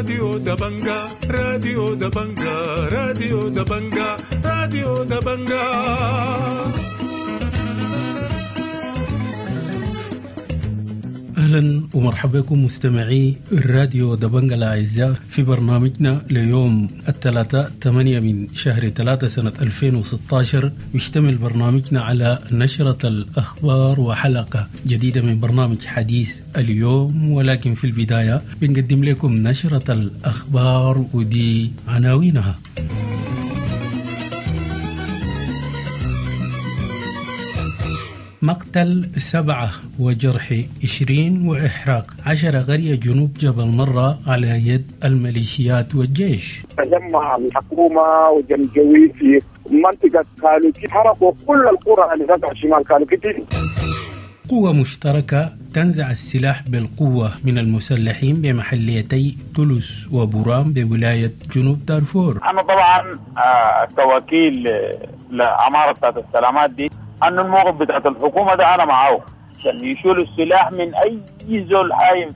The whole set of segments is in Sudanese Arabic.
راديو دبنجا، راديو دبنجا، راديو دبنجا، راديو دبنجا. اهلا ومرحبا بكم مستمعي الراديو دبنجا الاعزاء في برنامجنا ليوم الثلاثاء 8 من شهر 3 سنة 2016. يشتمل برنامجنا على نشرة الأخبار وحلقة جديدة من برنامج حديث اليوم، ولكن في البداية بنقدم لكم نشرة الأخبار ودي عناوينها. مقتل 7 وجرح 20 وإحراق 10 قرية جنوب جبل مرة على يد الميليشيات والجيش. تجمع الحكومة وجنجويد في منطقة كالوكي، حرقوا كل القرى اللي تقع شمال كالوكيتي. قوة مشتركة تنزع السلاح بالقوة من المسلحين بمحليتي تولوس وبورام بولاية جنوب دارفور. أنا طبعا كوكيل لعمارة بتاعت السلامات دي، أن الموقف بتاعت الحكومة ده أنا معاه عشان يشيلوا السلاح من أي زول حايم.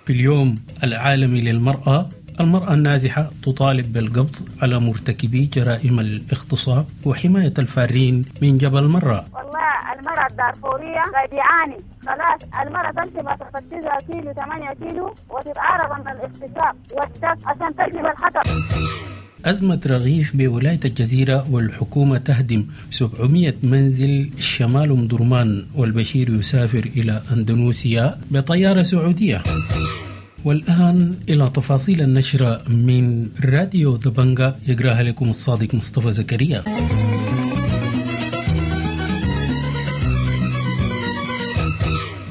في اليوم العالمي للمرأة، المرأة النازحة تطالب بالقبض على مرتكبي جرائم الاغتصاب وحماية الفارين من جبل مرة. والله المرأة الدارفورية قاعد يعاني خلاص، المرأة تمشي مسافة 9 كيلو 8 كيلو وتتعرض من الاغتصاب والدك عشان تجلب الحطب. أزمة رغيف بولاية الجزيرة والحكومة تهدم 700 منزل شمال أم درمان، والبشير يسافر إلى أندونيسيا بطيارة سعودية. والآن إلى تفاصيل النشرة من راديو دبنجا، يقراها لكم الصادق مصطفى زكريا.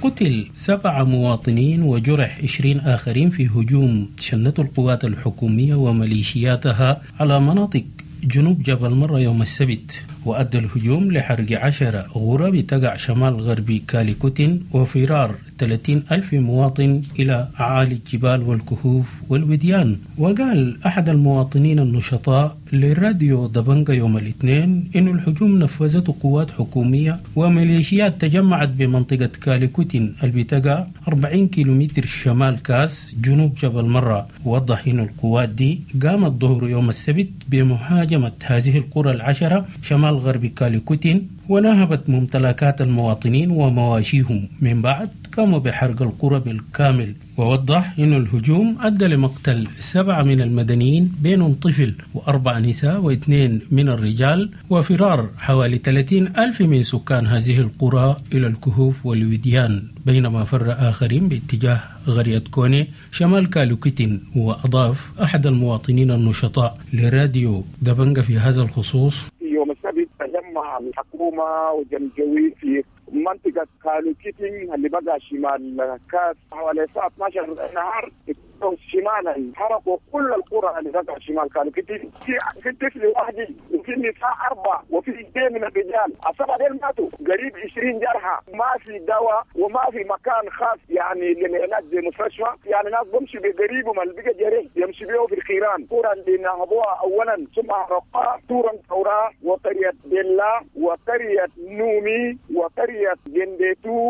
قتل 7 مواطنين وجرح 20 آخرين في هجوم شنته القوات الحكومية وميليشياتها على مناطق جنوب جبل مرة يوم السبت، وأدى الهجوم لحرق 10 غرب تقع شمال غربي كاليكوتين وفرار 30 ألف مواطن إلى أعالي الجبال والكهوف والوديان. وقال أحد المواطنين النشطاء للراديو دبنجا يوم الاثنين إن الهجوم نفذته قوات حكومية وميليشيات تجمعت بمنطقة كاليكوتين اللي بتقع 40 كيلومتر شمال كاس جنوب جبل مرة. ووضح إن القوات دي قامت ظهر يوم السبت بمهاجمة هذه القرى 10 شمال غرب كاليكوتين ونهبت ممتلكات المواطنين ومواشيهم، من بعد قاموا بحرق القرى بالكامل. ووضح أن الهجوم أدى لمقتل 7 من المدنيين بينهم طفل و4 نساء و2 من الرجال، وفرار حوالي 30 ألف من سكان هذه القرى إلى الكهوف والوديان، بينما فر آخرين باتجاه قرية كوني شمال كالوكيتين. وأضاف أحد المواطنين النشطاء لراديو دبنجا في هذا الخصوص: يوم السبت تجمع الحكومة وجنجويد في منطقة كالوكيتين اللي بقى شمال كاس حوالي الساعة 12 النهار شمالا، حرقوا كل القرى اللي بقى شمال كالوكيتين. في طفل واحد وفي نساء 4 وفي 2 من الرجال، 7 ديل ماتوا، قريب 20 جرحى. ما في دواء وما في مكان خاص يعني للعلاج زي مستشفى، يعني ناس بمشي بقريبهم اللي بقى جريح يمشي بيه في الخيران. قرى اللي نهبوها اولا ثم حرقوها تورا تورا وقرية بيلا وقرية نومي وقرية جنديتو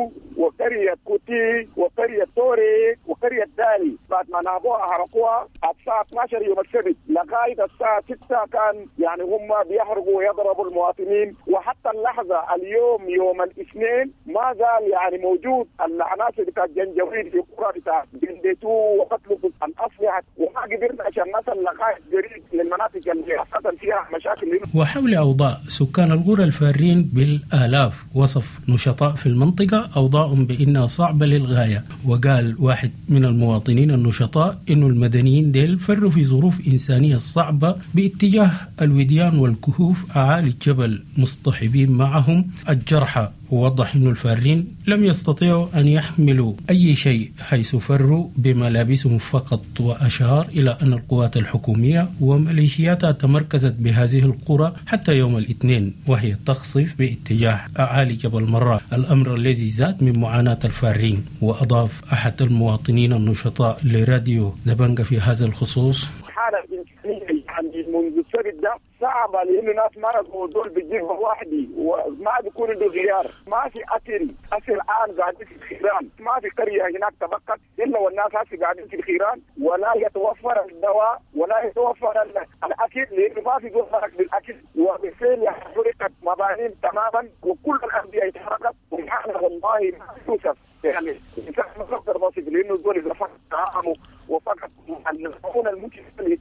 وقرية كوتي وقرية توري وقرية دالي. بعد ما نهبوها حرقوها الساعة 12 يوم السبت لغاية الساعة 6 كان يعني هم بيحرقوا ويضربوا المواطنين. وحتى اللحظة اليوم يوم الاثنين ما زال يعني موجود العناصر بتاع الجنجويد في قرى بتاع جنديتو وقتلوا الأسلحة، وما قدرنا عشان نصل لغاية قريب للمناطق اللي حصل فيها مشاكل. وحول أوضاع سكان القرى الفارين بالآلاف، وصف نشطاء في المنطقة أوضاعهم بأنها صعبة للغاية. وقال واحد من المواطنين النشطاء إنه المدنيين ديل فروا في ظروف إنسانية صعبة باتجاه الوديان والكهوف أعالي الجبل مصطحبين معهم الجرحى. ووضح أن الفارين لم يستطيعوا أن يحملوا أي شيء حيث فروا بملابسهم فقط. وأشار إلى أن القوات الحكومية وميليشياتها تمركزت بهذه القرى حتى يوم الاثنين وهي تقصف باتجاه أعالي جبل مرة، الأمر الذي زاد من معاناة الفارين. وأضاف أحد المواطنين النشطاء لراديو دبنجا في هذا الخصوص: حالة إنسانية يعني منذ السبت ده صعبة، لانه ناس مرضوا دول بيجيبوا وحدي وما بيكون عنده غيار، ما في اكل. هسه الان قاعدين في الخيران، ما في قرية هناك تبقت الا والناس هسه قاعدين في الخيران، ولا يتوفر الدواء ولا يتوفر الاكل، لانه ما في زول مرق بالاكل، وبالفعل حرقت مباني تماما وكل الاندية اتحرقت. وحالة والله ما يوصف، يعني الانسان ما بيقدر يصف، لانه الزول اذا فقد طعامه وفقد المعونة الممكن ما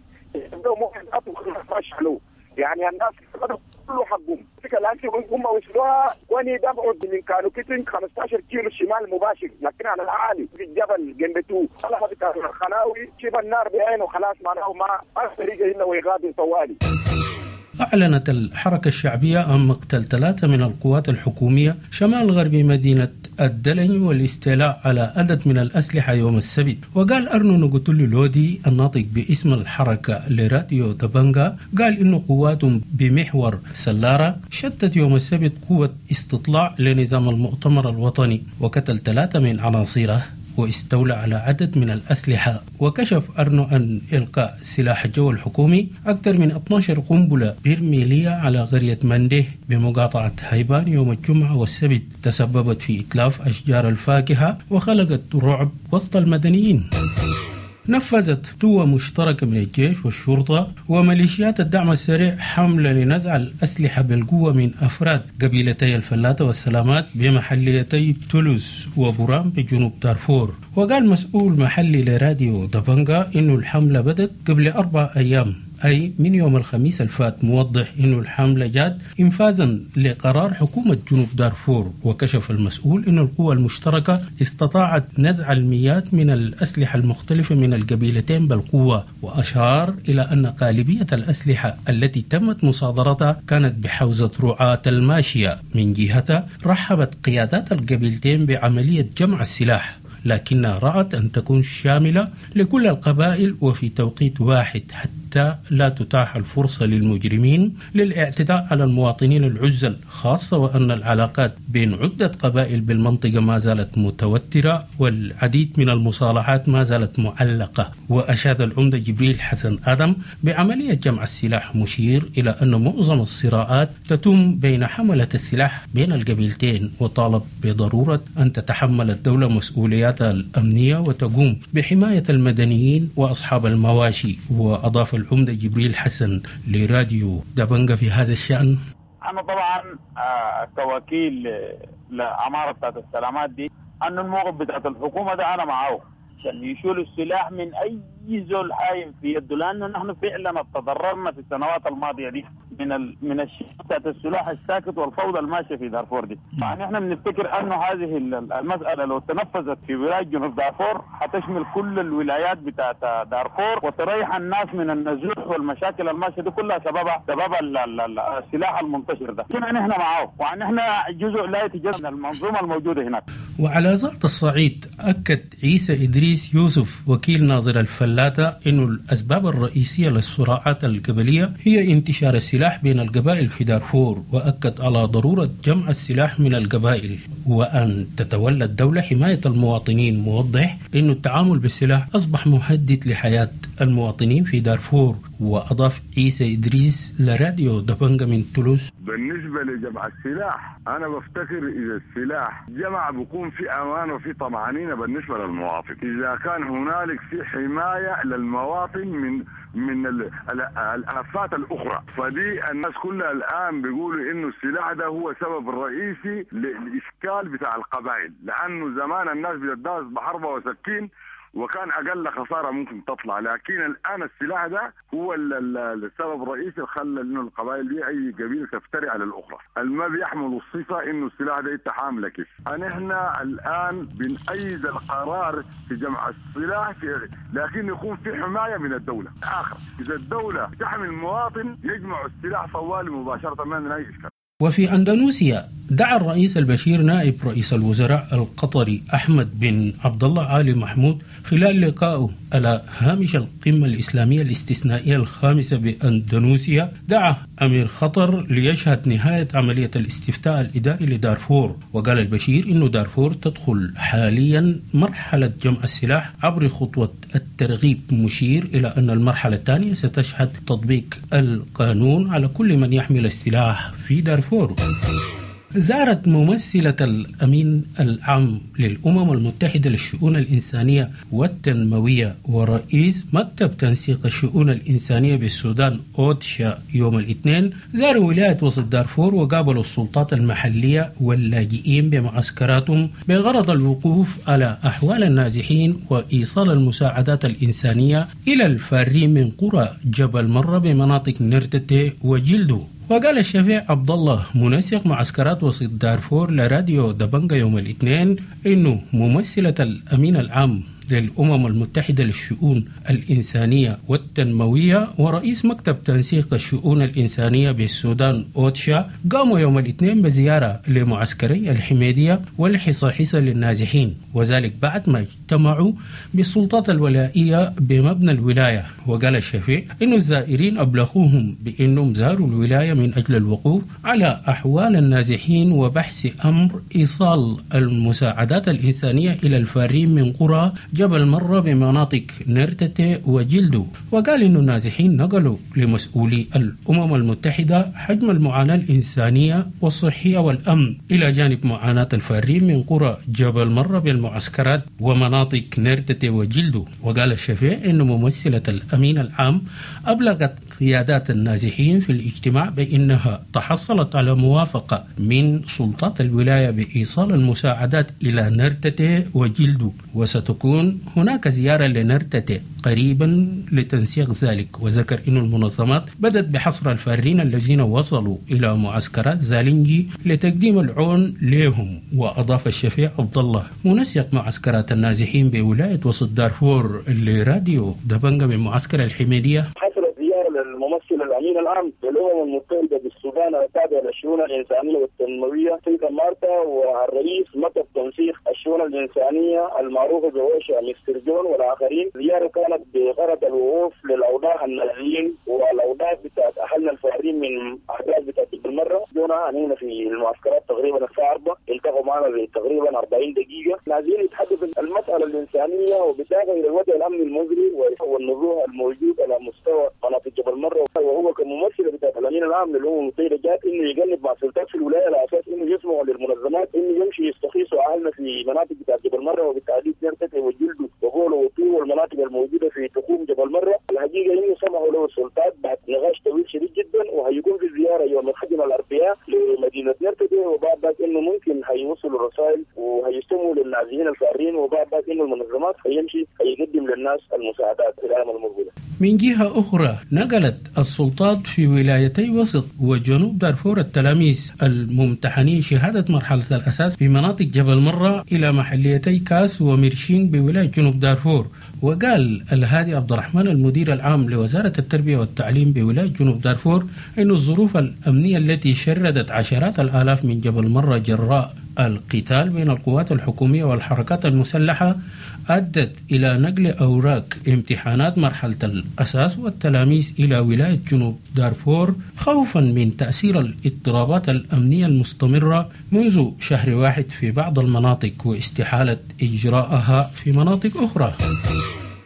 يعني الناس فقدوا كل حقهم. الان هم وصلوها وني دفعوا من كانوا كتن 15 كيلو شمال مباشر، لكن على العالي في الجبل جنبتو خلاص الخلاوي شوف النار بعينه خلاص، معناه ما طريقه الا ويغادر طوالي. أعلنت الحركة الشعبية عن مقتل 3 من القوات الحكومية شمال غرب مدينة الدلنج والاستيلاء على عدد من الأسلحة يوم السبت. وقال أرنو نغوتولو لودي الناطق باسم الحركة لراديو دبنجا، قال إنه قواتهم بمحور سلارة شتت يوم السبت قوة استطلاع لنظام المؤتمر الوطني وقتل 3 من عناصره واستولى على عدد من الأسلحة. وكشف أرنو أن إلقاء سلاح الجو الحكومي أكثر من 12 قنبلة برميلية على قرية منديه بمقاطعة هايبان يوم الجمعة والسبت تسببت في إتلاف أشجار الفاكهة وخلقت رعب وسط المدنيين. نفذت قوة مشتركة من الجيش والشرطة وميليشيات الدعم السريع حملة لنزع الأسلحة بالقوة من أفراد قبيلتي الفلاتة والسلامات بمحليتي تولوس وبورام بجنوب دارفور. وقال مسؤول محلي لراديو دبنجا إنه الحملة بدت قبل 4 أيام، أي من يوم الخميس الفات، موضح أن الحملة جات إنفاذا لقرار حكومة جنوب دارفور. وكشف المسؤول أن القوى المشتركة استطاعت نزع المئات من الأسلحة المختلفة من القبيلتين بالقوة، وأشار إلى أن غالبية الأسلحة التي تمت مصادرتها كانت بحوزة رعاة الماشية. من جهتها رحبت قيادات القبيلتين بعملية جمع السلاح، لكنها رأت أن تكون شاملة لكل القبائل وفي توقيت واحد حتى لا تتاح الفرصة للمجرمين للاعتداء على المواطنين العزل، خاصة وأن العلاقات بين عدة قبائل بالمنطقة ما زالت متوترة والعديد من المصالحات ما زالت معلقة. وأشاد العمدة جبريل حسن آدم بعملية جمع السلاح، مشير إلى أن معظم الصراعات تتم بين حملة السلاح بين القبيلتين، وطالب بضرورة أن تتحمل الدولة مسؤولياتها الأمنية وتقوم بحماية المدنيين وأصحاب المواشي. وأضاف العمدة جبريل حسن لراديو دبنجا في هذا الشأن: أنا طبعا كوكيل لعمارة بتاعت السلامات دي، أن الموقف بتاعت الحكومة ده أنا معاه عشان يشيلوا السلاح من أي زول حايم في يده، لأنه نحن فعلا تضررنا في السنوات الماضية دي من الشيء بتاعت السلاح الساكت والفوضى الماشية في دارفور دي. يعني احنا بنفتكر انه هذه المسالة لو تنفذت في ولاية جنوب دارفور حتشمل كل الولايات بتاعت دارفور وتريح الناس من النزوح والمشاكل الماشية دي كلها سببها السلاح المنتشر ده. نحن معاه، وان احنا جزء لا يتجزأ من المنظومة الموجودة هناك. وعلى ذات الصعيد اكد عيسى ادريس يوسف وكيل ناظر الفلاتة انه الاسباب الرئيسية للصراعات القبلية هي انتشار السلاح بين القبائل في دارفور، وأكد على ضرورة جمع السلاح من القبائل وأن تتولى الدولة حماية المواطنين، موضح أن التعامل بالسلاح أصبح مهدد لحياة المواطنين في دارفور. وأضاف عيسى إدريس لراديو دبنجا من تولوس: بالنسبة لجمع السلاح أنا بفتكر إذا السلاح جمع بيكون في أمان وفي طمأنينة بالنسبة للمواطن، إذا كان هنالك في حماية للمواطن من الآفات الأخرى. فدي الناس كلها الآن بيقولوا إنه السلاح ده هو سبب الرئيسي للإشكال بتاع القبائل، لأنه زمان الناس بتداس بحربة وسكين وكان أقل خسارة ممكن تطلع، لكن الآن السلاح ده هو السبب الرئيسي اللي خلى إنه القبائل دي أي قبيلة تفتري على الأخرى. الما بيحملوا الصفة إنه السلاح ده يتحامل كيف. نحن الآن بنأيد القرار في جمع السلاح لكن يكون في حماية من الدولة. آخر إذا الدولة تحمي المواطن يجمع السلاح طوالي مباشرة ما من أي إشكال. وفي أندونيسيا دعا الرئيس البشير نائب رئيس الوزراء القطري أحمد بن عبد الله آل محمود خلال لقائه على هامش القمة الإسلامية الاستثنائية الخامسة بأندونيسيا، دعا أمير قطر ليشهد نهاية عملية الاستفتاء الإداري لدارفور. وقال البشير إنه دارفور تدخل حاليا مرحلة جمع السلاح عبر خطوة الترغيب، مشير إلى أن المرحلة الثانية ستشهد تطبيق القانون على كل من يحمل السلاح في دارفور. زارت ممثلة الأمين العام للأمم المتحدة للشؤون الإنسانية والتنموية ورئيس مكتب تنسيق الشؤون الإنسانية بالسودان أوتشا يوم الاثنين زاروا ولاية وسط دارفور وقابلوا السلطات المحلية واللاجئين بمعسكراتهم بغرض الوقوف على أحوال النازحين وإيصال المساعدات الإنسانية إلى الفارين من قرى جبل مرة بمناطق نرتتي وجلدو. وقال الشفيع عبد الله منسق معسكرات وسط دارفور لراديو دبنجا يوم الاثنين انه ممثلة الامين العام للأمم المتحدة للشؤون الإنسانية والتنموية ورئيس مكتب تنسيق الشؤون الإنسانية بالسودان أوتشا قاموا يوم الاثنين بزيارة لمعسكري الحميدية والحصاحيصة للنازحين، وذلك بعد ما اجتمعوا بالسلطات الولائية بمبنى الولاية. وقال الشفيع إن الزائرين أبلغوهم بأنهم زاروا الولاية من أجل الوقوف على أحوال النازحين وبحث أمر إيصال المساعدات الإنسانية إلى الفارين من قرى جبل مرة بمناطق نرتتي وجلدو. وقال إن النازحين نقلوا لمسؤولي الأمم المتحدة حجم المعاناة الإنسانية والصحية والأمن، إلى جانب معاناة الفارين من قرى جبل مرة بالمعسكرات ومناطق نرتتي وجلدو. وقال الشفيع إن ممثلة الأمين العام أبلغت قيادات النازحين في الاجتماع بأنها تحصلت على موافقة من سلطات الولاية بإيصال المساعدات إلى نرتتي وجلدو، وستكون هناك زيارة لنرتتي قريبا لتنسيق ذلك. وذكر أن المنظمات بدأت بحصر الفارين الذين وصلوا إلى معسكرات زالنجي لتقديم العون لهم. وأضاف الشفيع عبد الله منسق معسكرات النازحين بولاية وسط دارفور لراديو دبنجا من معسكر الحميدية: الممثل الامين العام للامم المتحده بالسودان التابع للشؤون الانسانيه والتنمويه سيدة مارتا، والرئيس مكتب تنسيق الشؤون الانسانيه المعروفه بأوشا مستر جون والاخرين. الزياره كانت بغرض الوقوف للاوضاع النازحين والاوضاع بتاعت اهلنا الفارين من احداث بتاعت المره. جونا هنا في المعسكرات تقريبا الساعه 4، التقوا معنا تقريبا 40 دقيقه. نازلين يتحدثوا المساله الانسانيه وبالإضافه الى الوضع الامني المزري والنزوح الموجود على مستوى مناطق جبل مرة. وهو كممثل بتاع الامين العام للامم المتحده جات انه يجنب مع سلطات في الولايه على اساس انه يسمعوا للمنظمات انه يمشي يستخيصوا اهلنا في مناطق بتاع جبل مرة وبالتحديد نرتتي وجلده وغولو وطور والمناطق الموجوده في تخوم جبل مرة. الحقيقه انه سمحوا له السلطات بعد نقاش طويل شديد جدا، وهيكون في زياره يوم الخدمه الاربعاء لمدينه نرتتي، وبعد ذاك انه ممكن هيوصلوا الرسائل وهيستموا للنازحين الفارين، وبعد ذاك انه المنظمات هيمشي هيقدم للناس المساعدات في الايام المقبله. من جهة أخرى نقلت السلطات في ولايتي وسط وجنوب دارفور التلاميذ الممتحنين شهادة مرحلة الأساس في مناطق جبل مرة إلى محليتي كاس وميرشين بولاية جنوب دارفور. وقال الهادي عبد الرحمن المدير العام لوزارة التربية والتعليم بولاية جنوب دارفور إن الظروف الأمنية التي شردت عشرات الآلاف من جبل مرة جراء القتال بين القوات الحكومية والحركات المسلحة أدت إلى نقل أوراق امتحانات مرحلة الأساس والتلاميذ إلى ولاية جنوب دارفور خوفا من تأثير الاضطرابات الأمنية المستمرة منذ شهر واحد في بعض المناطق واستحالة إجراءها في مناطق أخرى.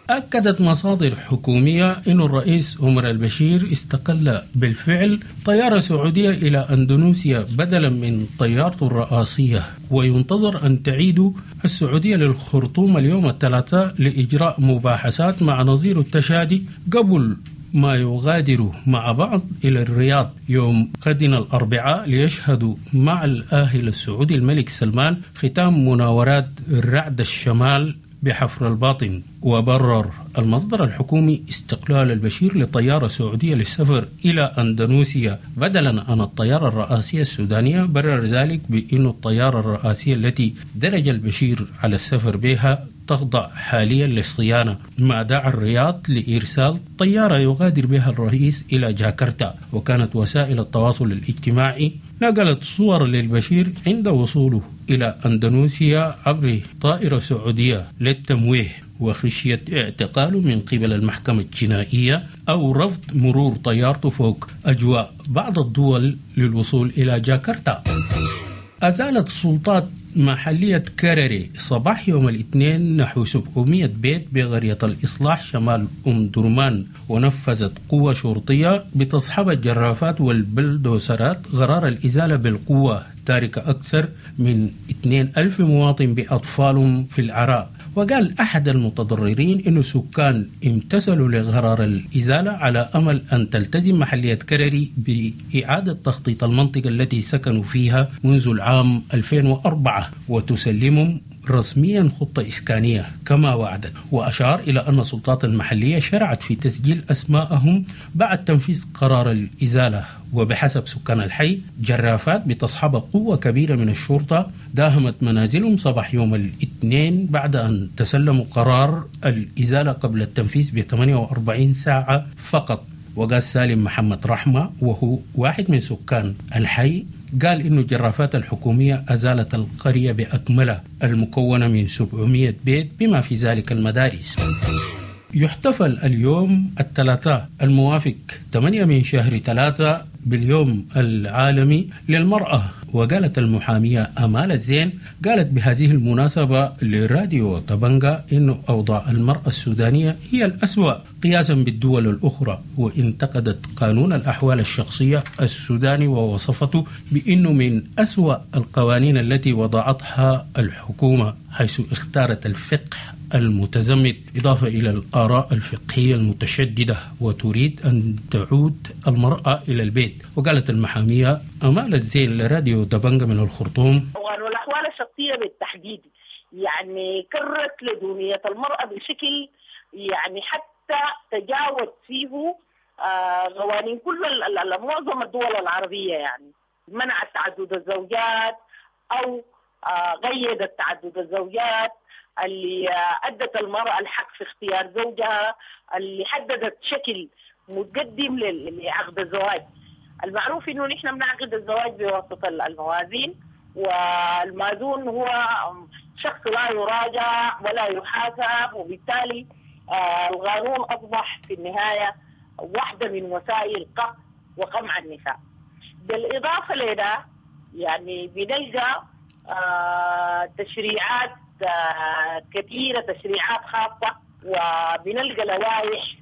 أكدت مصادر حكومية أن الرئيس عمر البشير استقل بالفعل طيارة سعودية إلى أندونيسيا بدلا من طيارته الرئاسية، وينتظر أن تعيد السعودية للخرطوم اليوم الثلاثاء لإجراء مباحثات مع نظير التشادي قبل ما يغادروا مع بعض إلى الرياض يوم غد الأربعاء ليشهدوا مع الآهل السعودي الملك سلمان ختام مناورات رعد الشمال بحفر الباطن. وبرر المصدر الحكومي استقلال البشير لطيارة سعودية للسفر إلى أندونيسيا بدلا عن الطيارة الرئاسية السودانية، برر ذلك بأن الطيارة الرئاسية التي درج البشير على السفر بها تخضع حاليا للصيانة، ما دعا الرياض لإرسال طيارة يغادر بها الرئيس إلى جاكرتا. وكانت وسائل التواصل الاجتماعي نقلت صور للبشير عند وصوله إلى أندونيسيا عبر طائرة سعودية للتمويه وخشية اعتقاله من قبل المحكمة الجنائية أو رفض مرور طيارته فوق أجواء بعض الدول للوصول إلى جاكرتا. أزالت السلطات محلية كرري صباح يوم الاثنين نحو 700 بيت بقرية الإصلاح شمال أم درمان، ونفذت قوة شرطية بتصحب الجرافات والبلدوسرات قرار الإزالة بالقوة، تاركة أكثر من 2000 مواطن بأطفالهم في العراء. وقال أحد المتضررين إن السكان امتثلوا لقرار الإزالة على أمل أن تلتزم محلية كرري بإعادة تخطيط المنطقة التي سكنوا فيها منذ العام 2004 وتسلمهم رسميا خطة إسكانية كما وعدت. وأشار إلى أن السلطات المحلية شرعت في تسجيل أسماءهم بعد تنفيذ قرار الإزالة. وبحسب سكان الحي، جرافات بتصحب قوة كبيرة من الشرطة داهمت منازلهم صباح يوم الاثنين بعد أن تسلموا قرار الإزالة قبل التنفيذ ب 48 ساعة فقط. وقال سالم محمد رحمة، وهو واحد من سكان الحي، قال إنه الجرافات الحكومية أزالت القرية بأكملها المكونة من 700 بيت بما في ذلك المدارس. يحتفل اليوم الثلاثاء الموافق 8 من شهر 3 باليوم العالمي للمرأة. وقالت المحامية أمال الزين، قالت بهذه المناسبة لراديو طبنجة إن أوضاع المرأة السودانية هي الأسوأ قياسا بالدول الأخرى، وانتقدت قانون الأحوال الشخصية السوداني ووصفته بأنه من أسوأ القوانين التي وضعتها الحكومة، حيث اختارت الفقه المتزمت إضافة إلى الآراء الفقهية المتشددة، وتريد أن تعود المرأة إلى البيت. وقالت المحامية أمال الزين لراديو دبنجة من الخرطوم: والأحوال الشخصية بالتحديد يعني كرت لدونية المرأة بشكل يعني حتى تجاوز فيه قوانين كل معظم الدول العربية، يعني منعت تعدد الزوجات أو قيدت تعدد الزوجات، اللي أدت المرأة الحق في اختيار زوجها، اللي حددت شكل متقدم لعقد الزواج. المعروف إنه نحن بنعقد الزواج بواسطة الموازين، والمازون هو شخص لا يراجع ولا يحاسب، وبالتالي القانون أصبح في النهاية واحدة من وسائل قهر وقمع النساء. بالإضافة لذا يعني بنلقى تشريعات كثيرة، تشريعات خاصة، وبنلقى لوائح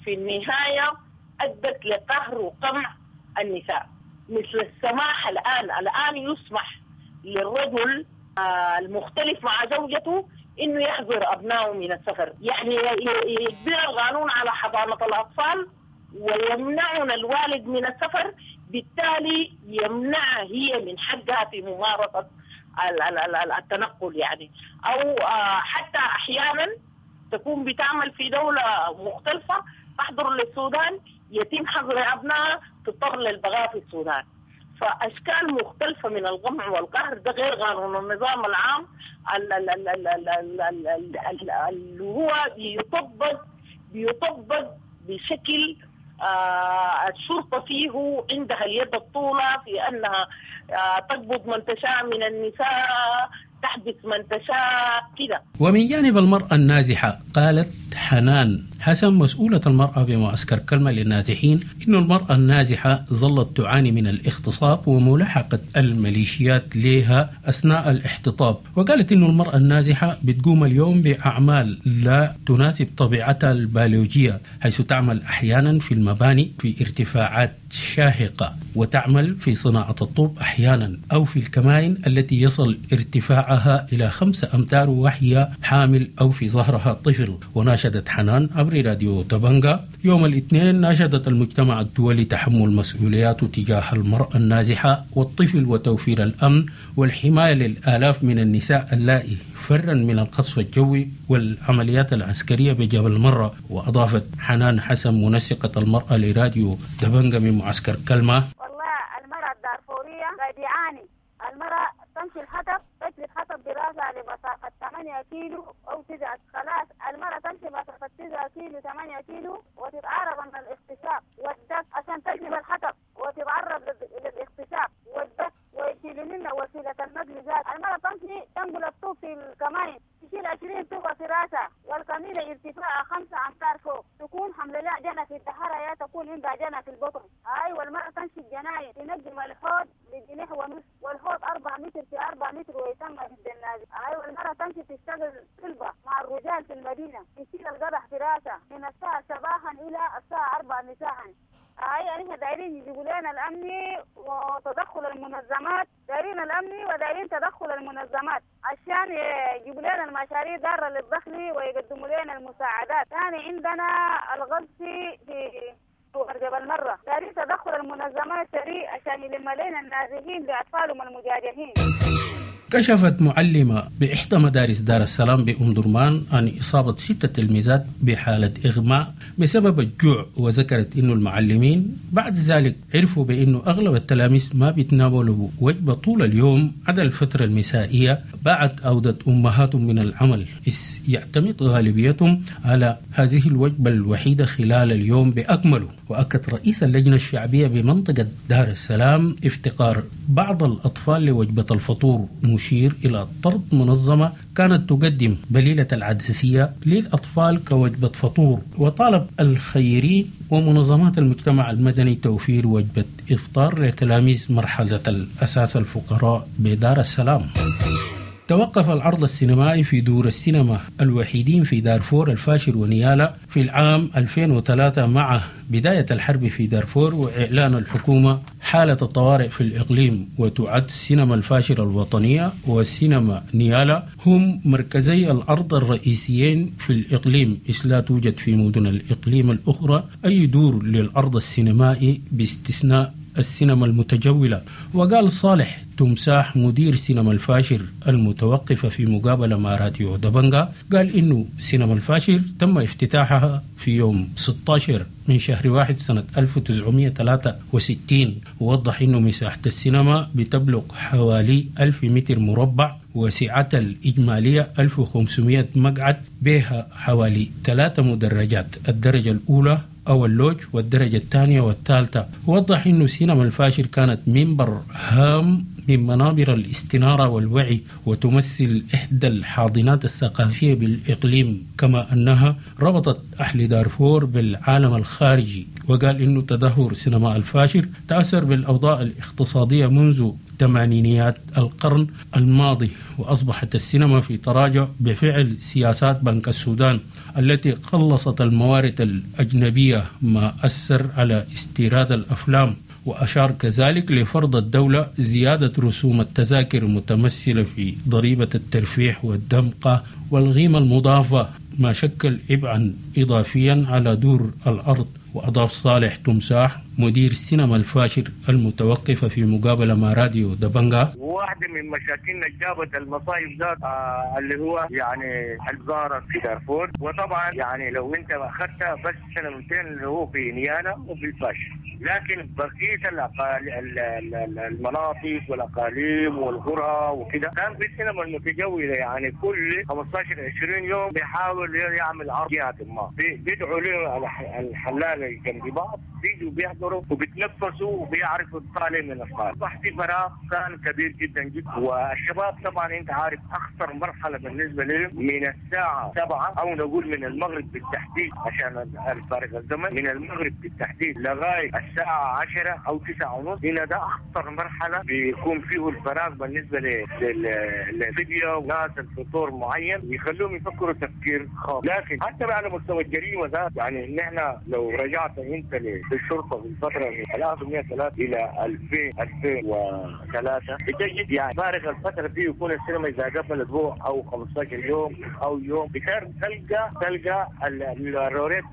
في النهاية أدت لقهر وقمع النساء، مثل السماح الآن يسمح للرجل المختلف مع زوجته إنه يحظر أبنائه من السفر، يعني يجبر القانون على حضانة الأطفال ويمنعنا الوالد من السفر، بالتالي يمنعها هي من حقها في ممارسة التنقل، يعني أو حتى أحيانا تكون بتعمل في دولة مختلفة تحضر للسودان، يتم حظر أبنائها، تضطر للبقاء في السودان. فأشكال مختلفة من القمع والقهر، ده غير قانون النظام العام اللي هو بيطبق بشكل الشرطة فيه عندها اليد الطولة في أنها تقبض من تشاء من النساء، تحبس من تشاء كده. ومن جانب المرأة النازحة، قالت حنان حسن مسؤولة المرأة بمعسكر كلمة للنازحين إن المرأة النازحة ظلت تعاني من الاغتصاب وملاحقة الميليشيات لها أثناء الاحتطاب. وقالت إن المرأة النازحة بتقوم اليوم بأعمال لا تناسب طبيعتها البيولوجية، حيث تعمل أحيانا في المباني في ارتفاعات شاهقة، وتعمل في صناعة الطوب أحيانا، أو في الكمائن التي يصل ارتفاعها إلى 5 أمتار وهي حامل أو في ظهرها طفل. وناشدت حنان عبر راديو تبنغا يوم الاثنين، ناشدت المجتمع الدولي تحمل مسؤولياته تجاه المرأة النازحة والطفل وتوفير الأمن والحماية للآلاف من النساء اللائي فرا من القصف الجوي والعمليات العسكرية بجبل مرة. وأضافت حنان حسن منسقة المرأة لراديو دبنجة من معسكر كلمة: والله المرأة الدارفورية قاعد يعاني، المرأة تمشي الحطب، تجلب حطب براسها لمسافة 8 كيلو أو 9، خلاص المرأة تمشي مسافة 9 كيلو 8 كيلو وتتعرض من الاغتصاب والدك عشان تجلب الحطب. وتتعرض للاغتصاب والدك ويشيلوا منا وسيلة النقل ذات. المرأة تمشي تنقل الطوب في الكمائن، تشيل 20 طوبة في راسها، والكميلة ارتفاعها 5 أمتار فوق، تكون حمل لها جنة في الدهرة يا تكون عندها جنة في البطن. هاي والمرأة تمشي الجناين تنجم الحوض بجنيه ونص، والحوض 4 متر في 4 متر ويسمى بالجنازة. هاي والمرأة تمشي تشتغل طلبة مع الرجال في المدينة، تشيل القدح في راسها من الساعة صباحا إلى الساعة 4 مساء. هاي احنا دايرين يجيبوا لنا الأمني وتدخل المنظمات، دايرين الأمني ودايرين تدخل المنظمات عشان يجيبوا لنا المشاريع دارة للدخل ويقدموا لنا المساعدات. ثاني عندنا الغزو في جبل مرة، دايرين تدخل المنظمات سريع عشان يلم لنا النازحين بأطفالهم المجاجهين. كشفت معلمة بإحدى مدارس دار السلام بأم درمان عن إصابة 6 تلميذات بحالة إغماء بسبب الجوع، وذكرت إنه المعلمين بعد ذلك عرفوا بأنه أغلب التلاميذ ما بيتناولوا وجبة طول اليوم عدا الفترة المسائية بعد عودة أمهاتهم من العمل، إذ يعتمد غالبيتهم على هذه الوجبة الوحيدة خلال اليوم بأكمله. وأكد رئيس اللجنة الشعبية بمنطقة دار السلام افتقار بعض الأطفال لوجبة الفطور، مشير إلى طرد منظمة كانت تقدم بليلة العدسية للأطفال كوجبة فطور، وطالب الخيرين ومنظمات المجتمع المدني توفير وجبة إفطار لتلاميذ مرحلة الأساس الفقراء بدار السلام. توقف العرض السينمائي في دور السينما الوحيدين في دارفور الفاشر ونيالا في العام 2003 مع بداية الحرب في دارفور وإعلان الحكومة حالة الطوارئ في الإقليم. وتعد سينما الفاشر الوطنية وسينما نيالا هم مركزي العرض الرئيسيين في الإقليم، إذ لا توجد في مدن الإقليم الأخرى أي دور للعرض السينمائي باستثناء السينما المتجولة. وقال صالح تمساح مدير سينما الفاشر المتوقفة في مقابلة مع راديو دبنجا، قال إنه سينما الفاشر تم افتتاحها في يوم 16 من شهر 1 سنة 1963، ووضح إنه مساحة السينما بتبلغ حوالي 1000 متر مربع وسعتها الإجمالية 1500 مقعد، بها حوالي 3 مدرجات، الدرجة الأولى أو اللوج والدرجة الثانية والثالثة. وضح إنه سينما الفاشر كانت منبر هام من منابر الاستنارة والوعي، وتمثل إحدى الحاضنات الثقافية بالإقليم، كما أنها ربطت أهل دارفور بالعالم الخارجي. وقال إنه تدهور سينما الفاشر تأثر بالأوضاع الاقتصادية منذ ثمانينيات القرن الماضي، وأصبحت السينما في تراجع بفعل سياسات بنك السودان التي قلصت الموارد الأجنبية، ما أثر على استيراد الأفلام. وأشار كذلك لفرض الدولة زيادة رسوم التذاكر المتمثلة في ضريبة الترفيه والدمقة والغيمة المضافة، ما شكل عبئا إضافيا على دور الأرض. وأضاف صالح تمساح مدير السينما الفاشر المتوقفة في مقابلة مع راديو دبنجا: واحدة من مشاكلنا جابت المصايب ذات اللي هو يعني الزارة في دارفور، وطبعا يعني لو انت اخذتها بس سنتين اللي هو في نيالا وفي الفاشر، لكن بقية المناطق والاقاليم والقرى وكده كان في السينما المتجولة، يعني كل 15-20 يوم بيحاول يعمل عرض جهة ما، بيدعوا له الحلال جنب بعض، بيجوا بيحضروا وبيتنفسوا وبيعرفوا الطالب من الطالب. اصبح في فراغ كان كبير جدا جدا، والشباب طبعا انت عارف اخطر مرحله بالنسبه لهم من الساعه 7 او نقول من المغرب بالتحديد عشان الفارق الزمن، من المغرب بالتحديد لغايه الساعه 10 او 9:30، هنا ده اخطر مرحله بيكون فيه الفراغ بالنسبه للفيديو ناس الفطور معين يخلوهم يفكروا تفكير خاص. لكن حتى على مستوى الجريمه ذات، يعني ان احنا لو رجعت انت للشرطه في الفتره من 1903 الى 2003 بتجد يعني فارق الفتره دي يكون السينما اذا قفل اسبوع او 15 يوم او يوم تلقى الروريت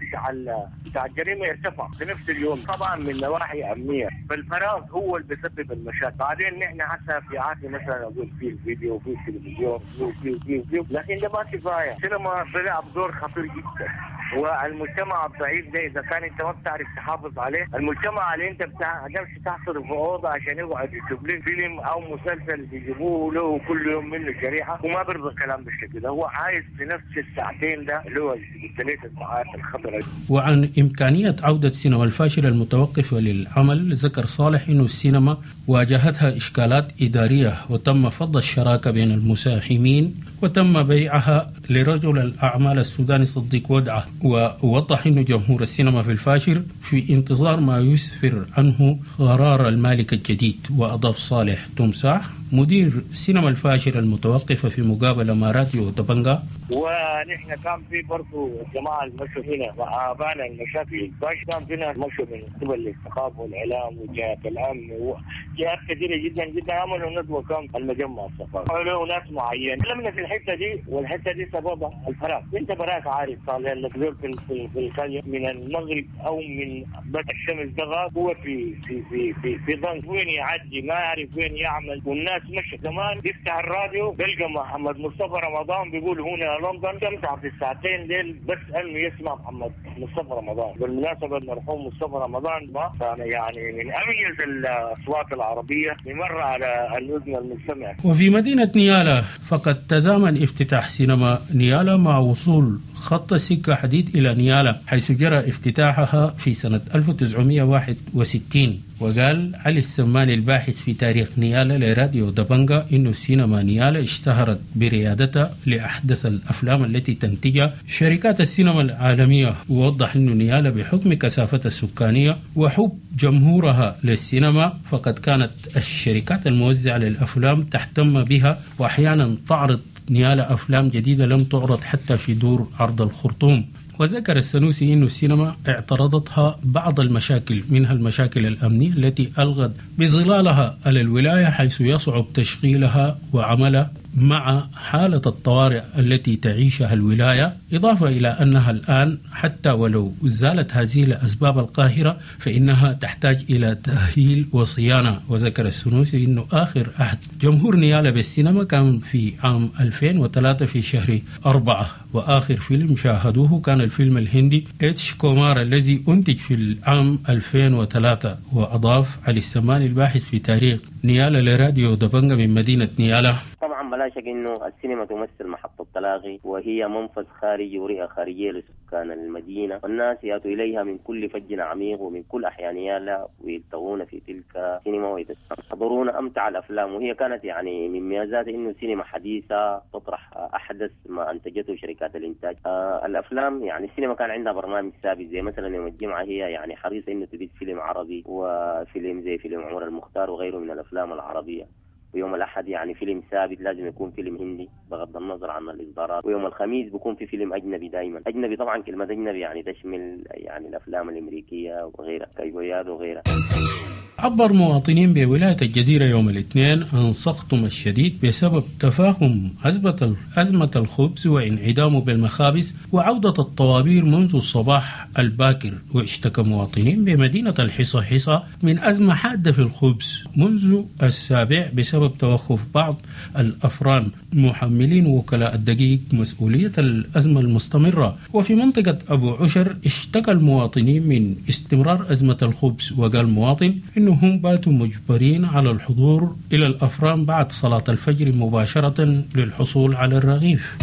بتاع الجريمه يرتفع في نفس اليوم، طبعا من نواحي امنيه. فالفراغ هو اللي بيسبب المشاكل. بعدين نحن هسه في عهد مثلا اقول في الفيديو وفي التلفزيون وفي وفي وفي، لكن ده ما كفايه. السينما بيلعب دور خطير جدا، والمجتمع الضعيف ده اذا كان انت ما بتعرف تحافظ عليه، المجتمع اللي انت بتمشي تحصره في اوضه عشان يقعد يشوف له فيلم او مسلسل بيجيبوه له كل يوم منه شريحه، وما بيرضى الكلام بالشكل ده، هو عايز في نفس الساعتين ده اللي هو الثلاث ساعات الخطره. وعن امكانيه عوده سينما الفاشل المتوقفه للعمل، ذكر صالح انه السينما واجهتها اشكالات اداريه وتم فض الشراكه بين المساهمين وتم بيعها لرجل الأعمال السوداني صديق ودعة. ووضح أن جمهور السينما في الفاشر في انتظار ما يسفر عنه قرار المالك الجديد. وأضاف صالح تمساح مدير سينما الفاشر المتوقفة في مقابلة مع راديو دبنجا: ونحن كان في برضه الجماعة المشوا هنا وآبانا المشاكل باش كان فينا مشوا من قبل الثقافة والإعلام وجهات الأمن وجهات كثيرة جدا جدا، عملوا ندوة كان المجمع الثقافي له ناس معين لمنا في الحتة دي، والحتة دي سببها الفراغ. انت براك عارف طالع لك زول في القرية من المغرب او من بدء الشمس دغى، هو في في في في في ضنك وين يعدي ما يعرف وين يعمل، والناس مشت. زمان يفتح الراديو بيلقى محمد مصطفى رمضان بيقول هنا لندن، استمتع في الساعتين ديل بس انه يسمع محمد مصطفى رمضان. بالمناسبة المرحوم مصطفى رمضان ما كان يعني من اميز الاصوات العربية بمر على الاذن المستمع. وفي مدينة نيالا فقد تزامن افتتاح سينما نيالا مع وصول خط السكة حديد إلى نيالا، حيث جرى افتتاحها في سنة 1961. وقال علي السماني الباحث في تاريخ نيالا لراديو دبنجا إنه السينما نيالا اشتهرت بريادتها لأحدث الأفلام التي تنتجها شركات السينما العالمية. ووضح إنه نيالا بحكم كثافتها السكانية وحب جمهورها للسينما فقد كانت الشركات الموزعة للأفلام تهتم بها، وأحيانا تعرض نيالا أفلام جديدة لم تعرض حتى في دور عرض الخرطوم. وذكر السنوسي أن السينما اعترضتها بعض المشاكل، منها المشاكل الأمنية التي ألغت بظلالها على الولاية، حيث يصعب تشغيلها وعملها مع حالة الطوارئ التي تعيشها الولاية، إضافة إلى أنها الآن حتى ولو زالت هذه الأسباب القاهرة فإنها تحتاج إلى تأهيل وصيانة. وذكر السنوسي أنه آخر عهد جمهور نيالا بالسينما كان في عام 2003 في شهر 4، وآخر فيلم شاهدوه كان الفيلم الهندي اتش كومار الذي أنتج في العام 2003. وأضاف علي السماني الباحث في تاريخ نيالا لراديو دبنجا من مدينة نيالا: طبعا بلا شك انه السينما تمثل محطة تلاقي، وهي منفذ خارجي ورئة خارجية لسكان المدينة، والناس يأتوا إليها من كل فج عميق ومن كل أحياء نيالا ويلتقون في تلك السينما ويحضرون أمتع الأفلام. وهي كانت يعني من ميزاتها إنه سينما حديثة تطرح أحدث ما أنتجته شركات الإنتاج. الأفلام يعني السينما كان عندها برنامج ثابت، زي مثلا يوم الجمعة هي يعني حريصة إنه تبث فيلم عربي وفيلم زي فيلم عمر المختار وغيره من الأفلام العربية. ويوم الأحد يعني فيلم ثابت لازم يكون فيلم هندي بغض النظر عن الإصدارات. ويوم الخميس بيكون في فيلم أجنبي دائما. أجنبي طبعا كلمة أجنبي يعني تشمل يعني الأفلام الأمريكية وغيرها، كايبوياد وغيرها. عبر مواطنين بولاية الجزيرة يوم الاثنين عن سخطهم الشديد بسبب تفاقم أزمة الخبز وانعدامه بالمخابز وعودة الطوابير منذ الصباح الباكر. واشتكى مواطنين بمدينة الحصاحيصا من أزمة حادة في الخبز منذ السابع بسبب توقف بعض الأفران، محملين وكلاء الدقيق مسؤولية الأزمة المستمرة. وفي منطقة أبو عشر اشتكى المواطنين من استمرار أزمة الخبز، وقال مواطن إنهم باتوا مجبرين على الحضور إلى الأفران بعد صلاة الفجر مباشرة للحصول على الرغيف.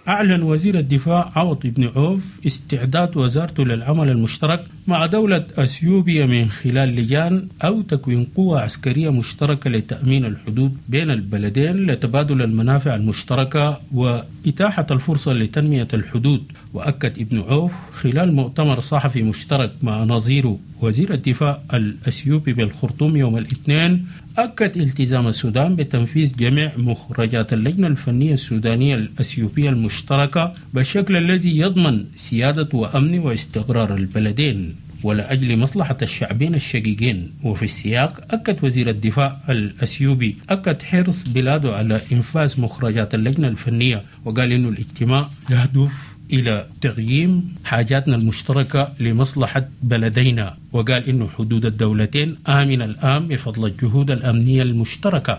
أعلن وزير الدفاع عوض بن عوف استعداد وزارته للعمل المشترك مع دولة أثيوبيا من خلال لجان أو تكوين قوة عسكرية مشتركة لتأمين الحدود بين البلدين لتبادل المنافع المشتركة وإتاحة الفرصة لتنمية الحدود. وأكد ابن عوف خلال مؤتمر صحفي مشترك مع نظيره وزير الدفاع الأثيوبي بالخرطوم يوم الاثنين، أكد التزام السودان بتنفيذ جميع مخرجات اللجنة الفنية السودانية الأثيوبية المشتركة بالشكل الذي يضمن سيادة وأمن واستقرار البلدين ولأجل مصلحة الشعبين الشقيقين. وفي السياق أكد وزير الدفاع الأثيوبي أكد حرص بلاده على إنفاذ مخرجات اللجنة الفنية، وقال إنه الاجتماع يهدف إلى تقييم حاجاتنا المشتركة لمصلحة بلدينا، وقال إنه حدود الدولتين آمنة الآن بفضل الجهود الأمنية المشتركة.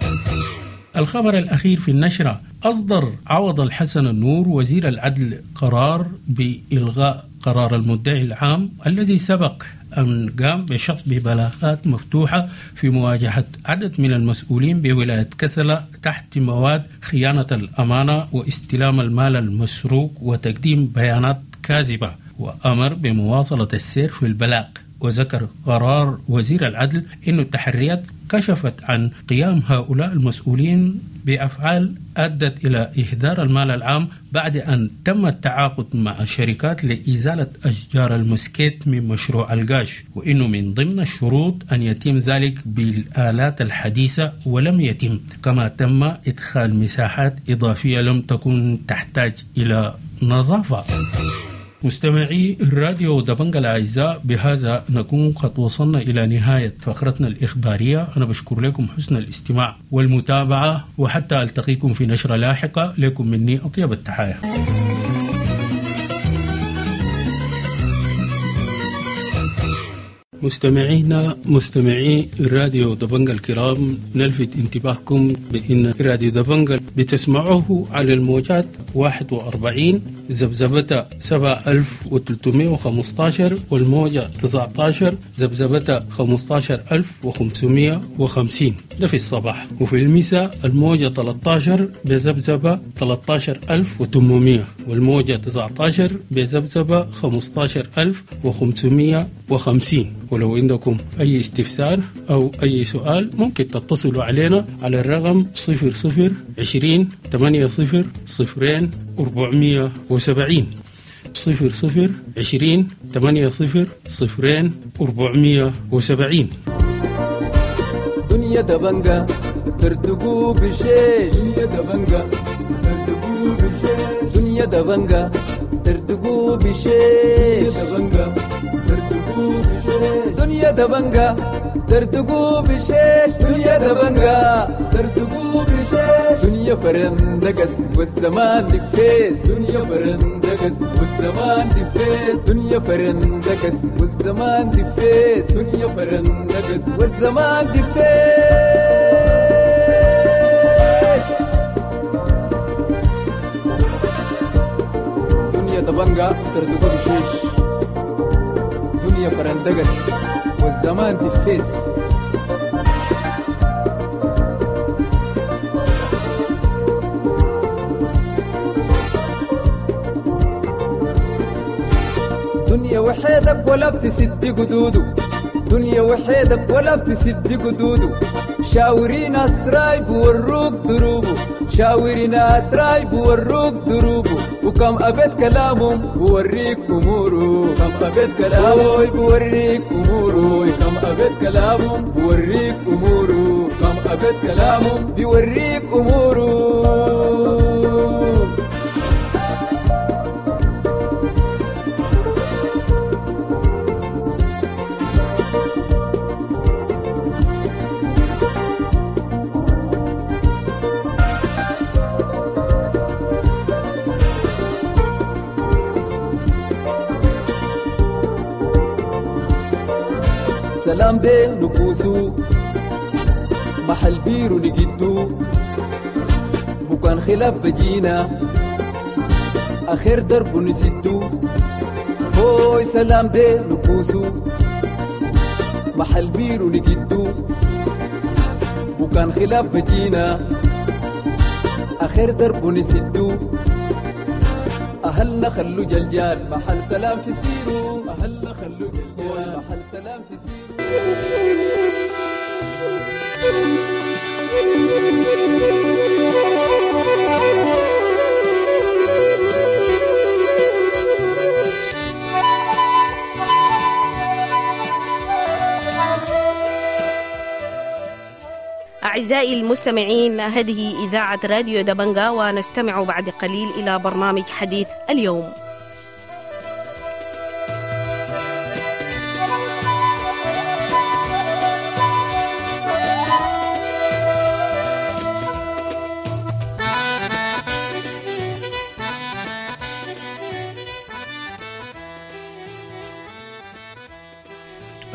الخبر الأخير في النشرة: أصدر عوض الحسن النور وزير العدل قرار بإلغاء قرار المدعي العام الذي سبق أن قام بشطب بلاغات مفتوحة في مواجهة عدد من المسؤولين بولاية كسلة تحت مواد خيانة الأمانة واستلام المال المسروق وتقديم بيانات كاذبة، وأمر بمواصلة السير في البلاغ. وذكر قرار وزير العدل أن التحريات كشفت عن قيام هؤلاء المسؤولين بأفعال أدت إلى إهدار المال العام بعد أن تم التعاقد مع شركات لإزالة أشجار المسكيت من مشروع القاش، وإنه من ضمن الشروط أن يتم ذلك بالآلات الحديثة ولم يتم، كما تم إدخال مساحات إضافية لم تكن تحتاج إلى نظافة. مستمعي الراديو دبنجا الأعزاء، بهذا نكون قد وصلنا إلى نهاية فقرتنا الإخبارية. أنا بشكر لكم حسن الاستماع والمتابعة، وحتى ألتقيكم في نشرة لاحقة. لكم مني أطيب التحايا. مستمعينا مستمعي الراديو دبنجا الكرام، نلفت انتباهكم بأن راديو دبنجا بتسمعوه على الموجات 41 ذبذبة 7315 والموجة 19 ذبذبة 15550، ده في الصباح، وفي المساء الموجة 13 بذبذبة 13800 والموجة 19 بذبذبة 15550. ولو عندكم أي استفسار أو أي سؤال ممكن تتصلوا علينا على الرقم 00 20 80 0 470، 00 20 80 0 470. دنيا دبنجا ترتقو بشيش، دنيا دبنجا ترتقو بشيش، دنيا دبنجا ترتقو بشيش، دبنجا ترتقو بشيش، دنيا دبنجا ترتقو بشيش، دنيا دبنجا ترتقو بشيش، دنيا فرندقس والزمان دفيس، دنيا فرندقس والزمان دفيس، دنيا فرندقس والزمان دفيس، دنيا فرندقس والزمان دفيس. دنيا دبنجا ترتقو بشيش، دنيا فرندقس والزمان دفيس. دنيا وحيدك ولا بتسد قدوده، دنيا وحيدك ولا بتسد قدوده، شاوري ناس رايب وروك دروبه، شاوري ناس رايب وروك دروبه، وكم أبيت كلامهم بوريك أموره، كم أبيت كلامه بوريك أموره، كم أبيت كلامهم بوريك أموره، كم أبيت كلامهم بيوريك أموره. سلام دي نبوسو محل بيرو نجدو، بكان خلاف بجينا آخر درب نسدو، هوي سلام دي نبوسو محل بيرو نجدو، بكان خلاف بجينا آخر درب نسدو، أهلنا خلو جلجال محل سلام في سيرو، أهلنا خلو جلجال محل سلام في سيرو. أعزائي المستمعين، هذه إذاعة راديو دبنجا، ونستمع بعد قليل إلى برنامج حديث اليوم.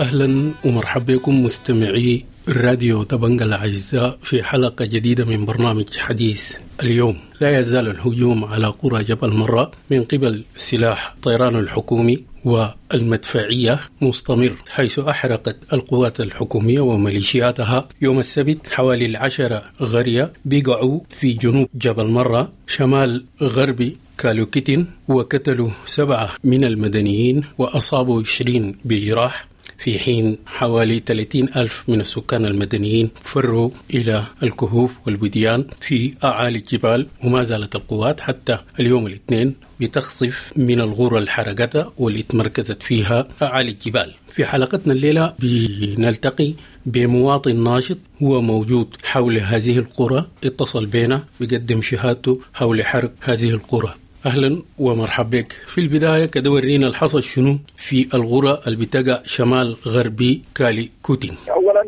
أهلا ومرحبا بكم مستمعي راديو دبنجا الأعزاء في حلقة جديدة من برنامج حديث اليوم. لا يزال الهجوم على قرى جبل مرة من قبل سلاح الطيران الحكومي والمدفعية مستمر، حيث أحرقت القوات الحكومية وميليشياتها يوم السبت حوالي 10 قرية بقعوا في جنوب جبل مرة شمال غرب كالوكيتين، وقتلوا 7 من المدنيين وأصابوا 20 بجراح، في حين حوالي 30 ألف من السكان المدنيين فروا إلى الكهوف والوديان في أعالي الجبال. وما زالت القوات حتى اليوم الاثنين بتخصف من الغرة الحرقتها واللي تمركزت فيها أعالي الجبال. في حلقتنا الليلة بنلتقي بمواطن ناشط هو موجود حول هذه القرى، اتصل بنا بيقدم شهادته حول حرق هذه القرى. أهلا ومرحبا بك. في البداية كده ورينا الحصل شنو في الغرة اللي بتقع شمال غربي كالي كوتين. أولا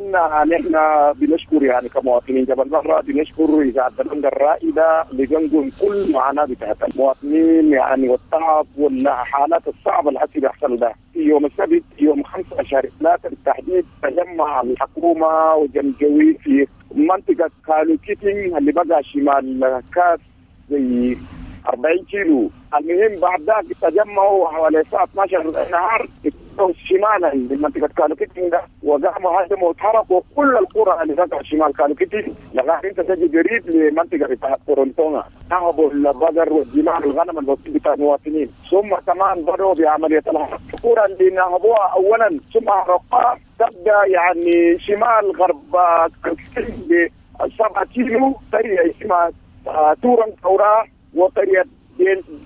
نحن بنشكر يعني كمواطنين جبل مرة، بنشكر إذاعة دبنجا الرائدة لجنجل كل معاناة بتاعت المواطنين يعني والتعب والحالات الصعبة اللي حسي بيحصل ده. في يوم السبت يوم 5 شهر 3 بالتحديد تجمع الحكومة وجنجوي في منطقة كالوكيتين اللي بقى شمال كاس زي 40 كيلو. المهم بعد ذاك تجمعوا حوالي الساعة 12 النهار شمالا من منطقة كالوكيتين ده، وقاموا هاجموا وتحرقوا كل القرى اللي تقع شمال كالوكيتين لغاية انت تجي قريب لمنطقة بتاعت كورنتونا. نهبوا البقر والجمال والغنم البسيط بتاع المواطنين، ثم كمان بدأوا بعملية الحرق. القرى اللي نهبوها أولا ثم حرقوها تبدأ يعني شمال غرب كالوكيتين ب 7 كيلو، قرية اسمها تورن تورا، وقرية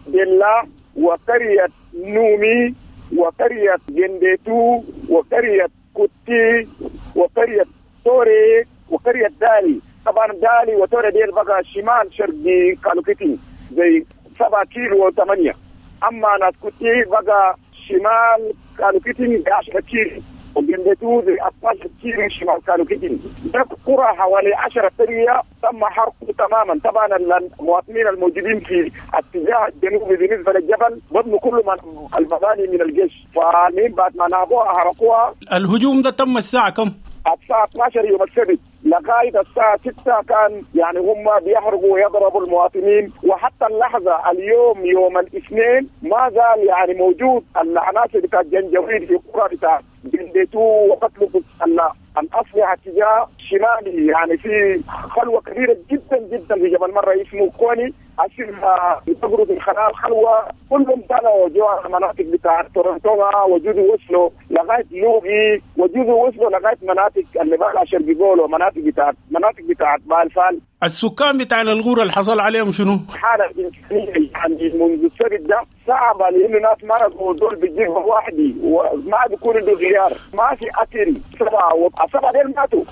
ديلا، وقرية نومي، وقرية جنديتو، وقرية كوتي، وقرية توري، وقرية دالي. طبعا دالي وتوري ديل بقى شمال شرقي كالوكيتين زي 7 كيلو و8. أما ناس كوتي بقى شمال كالوكيتين 10 كيلو، وجنديتو زي 12 كيلو شمال كالوكيتين. ده قرى حوالي 10 قرية تم حرقه تماما. طبعا المواطنين الموجودين في اتجاه الجنوبي بالنسبه للجبل بنوا كل المباني من الجيش، فالمهم بعد ما نهبوها حرقوها. الهجوم ده تم الساعه كم؟ الساعة 12 يوم السبت لغاية الساعة 6 كان يعني هم بيحرقوا ويضربوا المواطنين. وحتى اللحظة اليوم يوم الاثنين ما زال يعني موجود العناصر بتاع الجنجويد في قرى بتاع جنديتو وقتلوا الأسلحة اتجاه شمالي، يعني في خلوة كبيرة جدا جدا في جبل مرة اسمه كوني أسلحة بتقرب الخلال خلوة، كلهم طلعوا جوا المناطق بتاع تورنتونا وجزء وصلوا لغاية لوغي، وجزء وصلوا لغاية مناطق اللي بقى شرق جولو، مناطق بتاعت بالفال. السكان بتاع الغورة اللي حصل عليهم شنو؟ حالة إنسانية يعني منذ السبت ده صعبة، لأنه ناس مرضوا دول بتجيبهم وحدي وما بيكون عنده غيار، ما في أكل. 7 ديل ماتوا،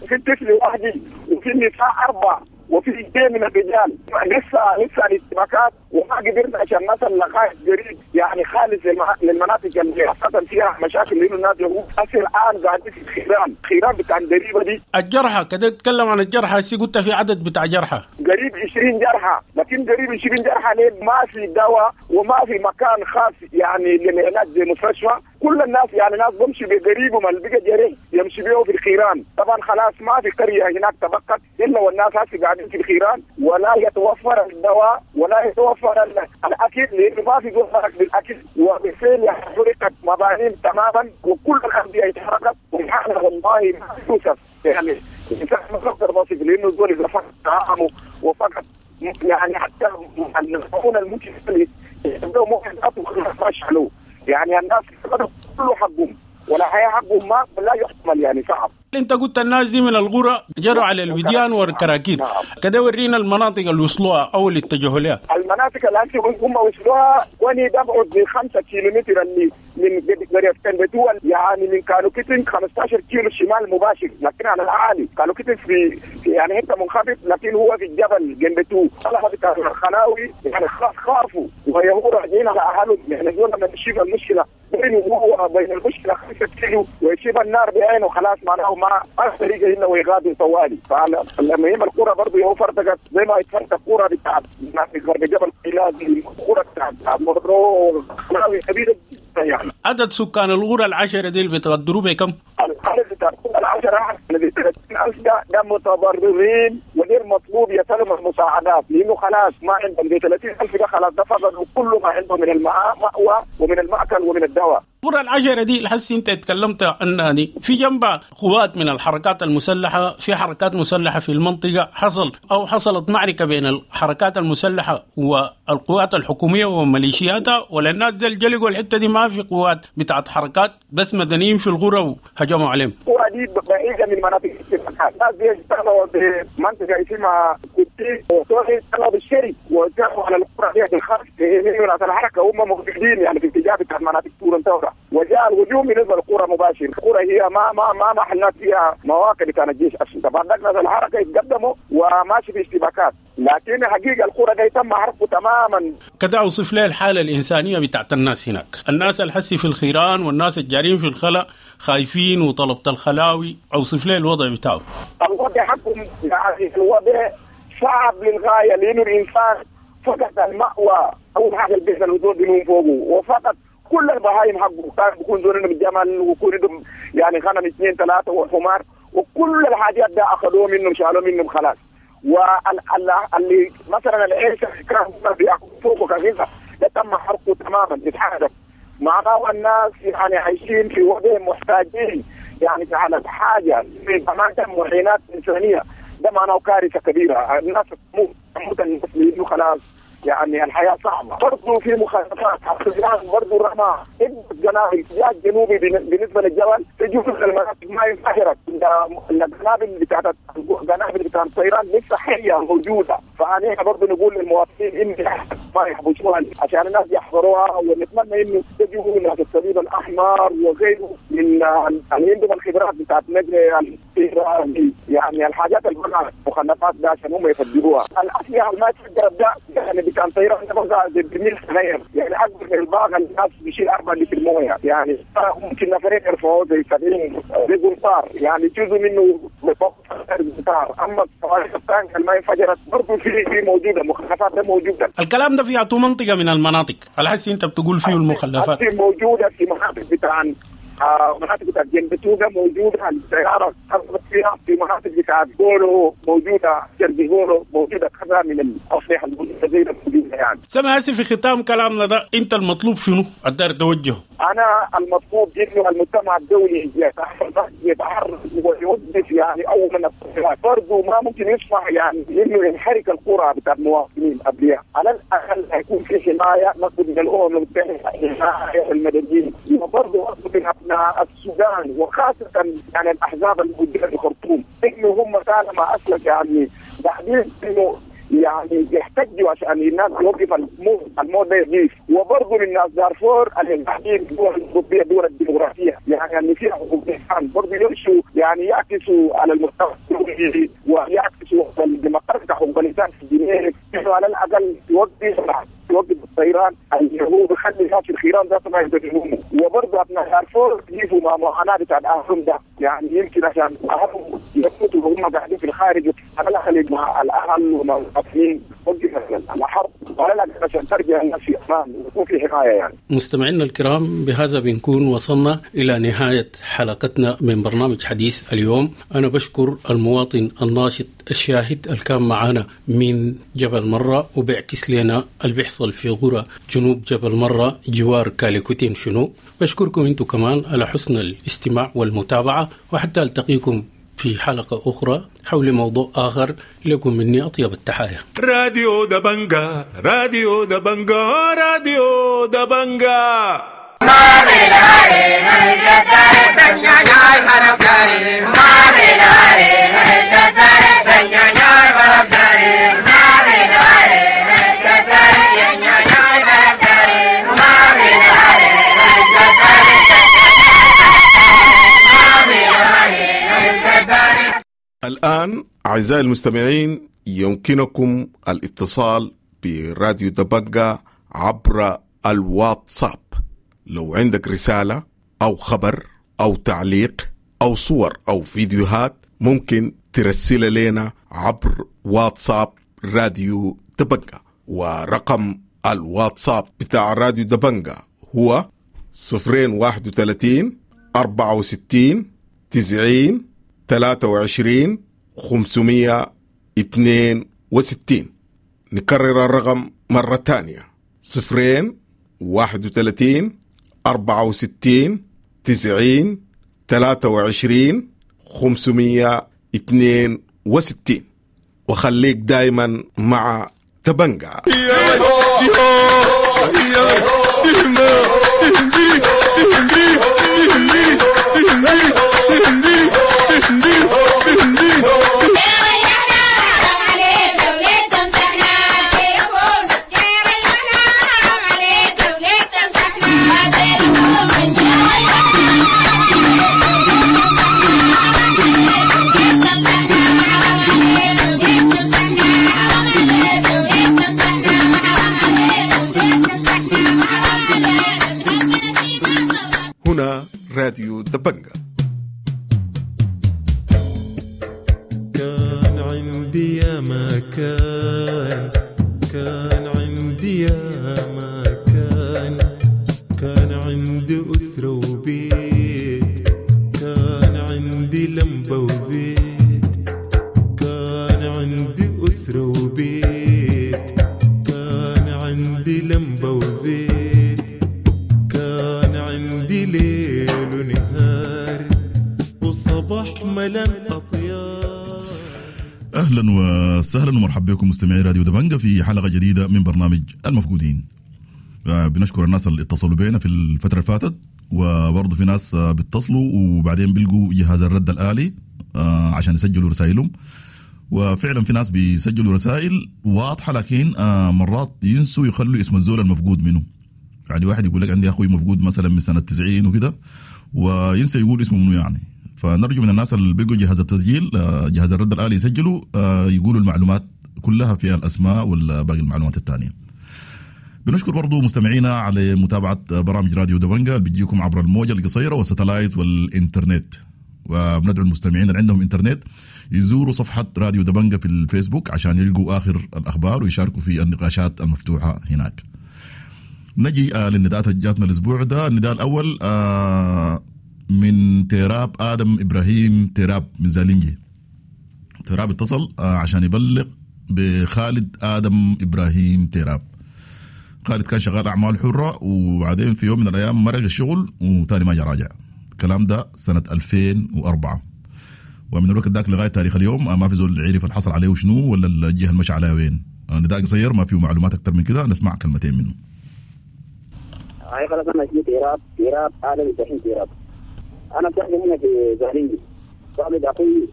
في طفل وحدي وفي نساء 4 وفي 2 من الرجال. لسه الاشتباكات وما قدرنا عشان نصل لغايه قريب يعني خالص للمناطق اللي خاصه فيها مشاكل، لانه الناس هسه الان قاعدين في خيران بتاع الدريبه دي. الجرحى كده تتكلم عن الجرحى، هسه قلت في عدد بتاع جرحى قريب 20 جرحى، لكن قريب 20 جرحى ليه ما في دواء وما في مكان خاص يعني للعلاج زي مستشفى. كل الناس يعني ناس بمشي بقريبهم اللي بقى جريح يمشي بيه في الخيران. طبعا خلاص ما في قريه هناك تبقت الا والناس هسه قاعدين في الخيران، ولا يتوفر الدواء ولا يتوفر الاكل، لانه ما في زول مرق بالاكل، وبالفعل حرقت مباني تماما وكل الانديه اتحرقت. والحاله والله ما توصف يعني الانسان ما يقدر يصف، لانه الزول اذا فقد طعامه وفقد يعني حتى المعونه الممكن يبدأوا ممكن ما شالوه، يعني الناس فقدوا كل حقهم ولا حياة حقهم ما لا يحتمل يعني صعب. انت قلت الناس دي من الغرة جروا على الوديان والكراكيب. نعم. كده ورينا المناطق اللي وصلوها او اللي اتجهوا لها. المناطق اللي هم وصلوها وني تبعد ب 5 كيلومتر اللي من قرية كندتو، يعني من كالوكيتين 15 كيلو شمال مباشر، لكن على العالي كالوكيتين في يعني حته منخفض، لكن هو في الجبل جنبتو. طلعوا بتاع الخلاوي يعني خلاص خافوا ويهور راجعين على اهلهم، يعني دول لما تشوف المشكله بينه وهو بين المشكله 5 كيلو ويشوف النار بعينه خلاص معناه ما طريقه الا ويغادر طوالي. فالمهم القرى برضه يهو فرتقت زي ما اتفرتق قرى بتاع غرب جبل قيلاد، القرى بتاع مرو خلاوي كبيره جدا. يعني عدد سكان الغرة 10 دي بتقدروا بكم؟ العدد بتاع الغرة 10 30000 ده متضررين وغير مطلوب يسلم المساعدات، لانه خلاص ما عندهم. زي 30000 ده خلاص ده فقدوا كل ما عندهم من المأوى ومن المأكل ومن الدواء. القرى العشرة دي الحس انت اتكلمت عنها دي في جنبها قوات من الحركات المسلحة، في حركات مسلحة في المنطقة، حصل أو حصلت معركة بين الحركات المسلحة والقوات الحكومية وميليشياتها، ولا الناس زي الجلق والحتة دي ما في قوات بتاعت حركات، بس مدنيين في القرى وهجموا عليهم. القرى دي بعيدة من مناطق الاشتباكات، الناس دي اشتغلوا بمنطقة اسمها كتي وطوحي، اشتغلوا بالشري وجاءوا على القرى دي بالخلف من الحركة، هم موجودين يعني في اتجاه بتاع مناطق تورن تورا، وجاء الهجوم بالنسبة للقرى مباشر. القرى هي ما ما ما محلات فيها مواقع بتاع الجيش اصلا. بعد ذلك الحركة يتقدموا وماشي في اشتباكات، لكن حقيقة القرى دي تم حرقه تماما. كده اوصف لي الحالة الانسانية بتاعت الناس هناك، الناس الحسي في الخيران والناس الجارين في الخلا خايفين وطلبة الخلاوي، اوصف لي الوضع بتاعه. الوضع حقهم يعني الوضع صعب للغاية، لانه الانسان فقد المأوى، اول حاجة البيت الوزور بينوم فوقه، وفقد كل البهايم حقه، كان بيكون زول عندهم جمل ويكون عندهم يعني غنم 2 3 وحمار، وكل الحاجات ده اخذوه منهم، شالوه منهم خلاص. واللي مثلا العيش كانوا بياكلوا فوقه كغذاء ده تم حرقه تماما، اتحرق. معناه الناس يعني عايشين في وضع محتاجين يعني على حاجة كمان معينات انسانيه، ده معناه كارثة كبيرة، الناس تموت الناس لانه خلاص يعني الحياة صعبة. برضه في مخالفات الطيران، برضه رمى قنابل الاتجاه الجنوبي بالنسبة للجبل، في جزء من المناطق ما انفجرت، القنابل بتاعت القنابل بتاعت الطيران لسه حيه موجودة. فانا برضه نقول للمواطنين ان ما يحبسوها عشان الناس يحضروها، ونتمنى انه تجوا ناس الصليب الاحمر وغيره من اللي عندهم الخبرات بتاعت نقل الطيران، يعني الحاجات اللي المخلفات ده عشان هم يفجروها. الاسلحة ما تفجرت ده يعني كان طيران ده بقى زي برميل صغير، يعني اكبر من الباغه الناس بيشيل 4 لتر مويه، يعني ممكن نفرين يرفعوه زي 70 زي قنطار، يعني جزء منه قنطار. اما الصواريخ الثانية اللي ما انفجرت برضه في موجودة، مخلفات ده موجودة. الكلام ده في منطقة من المناطق الحسي انت بتقول فيه المخلفات موجودة في مناطق بتاع مناطق بتاعت جنبتوغا موجودة، الطيارة حصلت فيها، في مناطق بتاعت بولو موجودة، شرقي بولو موجودة، كذا من الأسلحة الموجودة موجودة يعني. سامع في ختام كلامنا ده، أنت المطلوب شنو؟ الدار توجهه. أنا المطلوب إنه المجتمع الدولي يتحرك ويوقف يعني أولا الطيارات، برضه ما ممكن يسمح يعني إنه ينحرك القرى بتاع المواطنين قبلها، على الأقل هيكون في حماية مطلوب من الأمم المتحدة، حماية المدنيين، وبرضه أطلب من أبناء السودان وخاصة يعني الأحزاب الموجودة في الخرطوم إنه هم طالما أسلك يعني بعدين إنه يعني يحتجوا عشان الناس يوقف الموت ده يقيف. وبرضه للناس دارفور اللي قاعدين الدول الاوروبية الدول الديمقراطية يعني اللي فيها حقوق الانسان برضه يمشوا يعني يعكسوا على المستوى الدولي ويعكسوا الديمقراطية حقوق الانسان في جنيف، على الاقل يوقف الطيران اللي هو بيخلي الناس الخيران ذاته ما يقدروا. وبرضه ابناء دارفور يجوا مع معاناة بتاع اهلهم ده، يعني يمكن عشان اهلهم يموتوا وهم قاعدين في الخارج، على الاقل مع الاهل ومع المواطنين وقف الحرب، وعلى الاقل عشان ترجع الناس في امان ويكون في حماية يعني. مستمعينا الكرام، بهذا بنكون وصلنا الى نهاية حلقتنا من برنامج حديث اليوم. انا بشكر المواطن الناشط الشاهد اللي كان معنا من جبل مرة وبيعكس لنا اللي بيحصل في قرى جنوب جبل مرة جوار كاليكوتين شنو. بشكركم انتم كمان على حسن الاستماع والمتابعة، وحتى التقيكم في حلقة أخرى حول موضوع آخر. لكم مني أطيب التحايا. راديو دبنجا، راديو دبنجا، راديو دبنجا. الآن أعزائي المستمعين يمكنكم الاتصال براديو دبنجا عبر الواتساب. لو عندك رسالة أو خبر أو تعليق أو صور أو فيديوهات ممكن ترسل لنا عبر واتساب راديو دبنجا، ورقم الواتساب بتاع راديو دبنجا هو 031 64 90 23 562. نكرر الرقم مرة تانية: 0 31 64 90 23 562. وخليك دايما مع تبنجا. هنا راديو دبنجا. كان عندي يا ما كان، كان عندي يا ما كان، كان عندي أسرة وبيت، كان عندي لمبة وزيت، كان عندي أسرة وبيت، كان عندي لمبة وزيت، كان عندي ليل ونهار وصباح ملان أطيار. اهلا وسهلا ومرحبا بكم مستمعي راديو دبنجة في حلقة جديدة من برنامج المفقودين. بنشكر الناس اللي اتصلوا بينا في الفترة اللي فاتت، وبرضه في ناس بيتصلوا وبعدين بيلقوا جهاز الرد الآلي عشان يسجلوا رسائلهم، وفعلا في ناس بيسجلوا رسائل واضحة لكن مرات ينسوا يخلوا اسم الزول المفقود منه. يعني واحد يقول لك عندي اخوي مفقود مثلا من سنة 90 وكده، وينسى يقول اسمه منه يعني. فنرجو من الناس اللي بيقوا جهاز التسجيل، جهاز الرد الآلي يسجلوا، يقولوا المعلومات كلها فيها الأسماء والباقي المعلومات الثانية. بنشكر برضو مستمعينا على متابعة برامج راديو دبنجة اللي بتجيكم عبر الموجة القصيرة والستلايت والإنترنت، وبندعو المستمعين اللي عندهم إنترنت يزوروا صفحة راديو دبنجة في الفيسبوك عشان يلقوا آخر الأخبار ويشاركوا في النقاشات المفتوحة هناك. نجي للنداءات اللي جاتنا الأسبوع ده. النداء الأول من تيراب آدم إبراهيم تيراب من زالينجي. تيراب اتصل عشان يبلغ بخالد آدم إبراهيم تيراب. خالد كان شغال أعمال حرة، وبعدين في يوم من الأيام مرق الشغل وتاني ما جا راجع. الكلام ده سنة 2004، ومن الوقت ذاك لغاية تاريخ اليوم ما في زول عرف اللي حصل عليه وشنو ولا الجهة اللي مشى عليها وين. نداء قصير ما فيه معلومات أكتر من كده، نسمع كلمتين منه. هاي خلاص، أنا اسمي تيراب، تيراب آدم إبراهيم تيراب. أنا بتحكي هنا في زالينجي. والد أخوي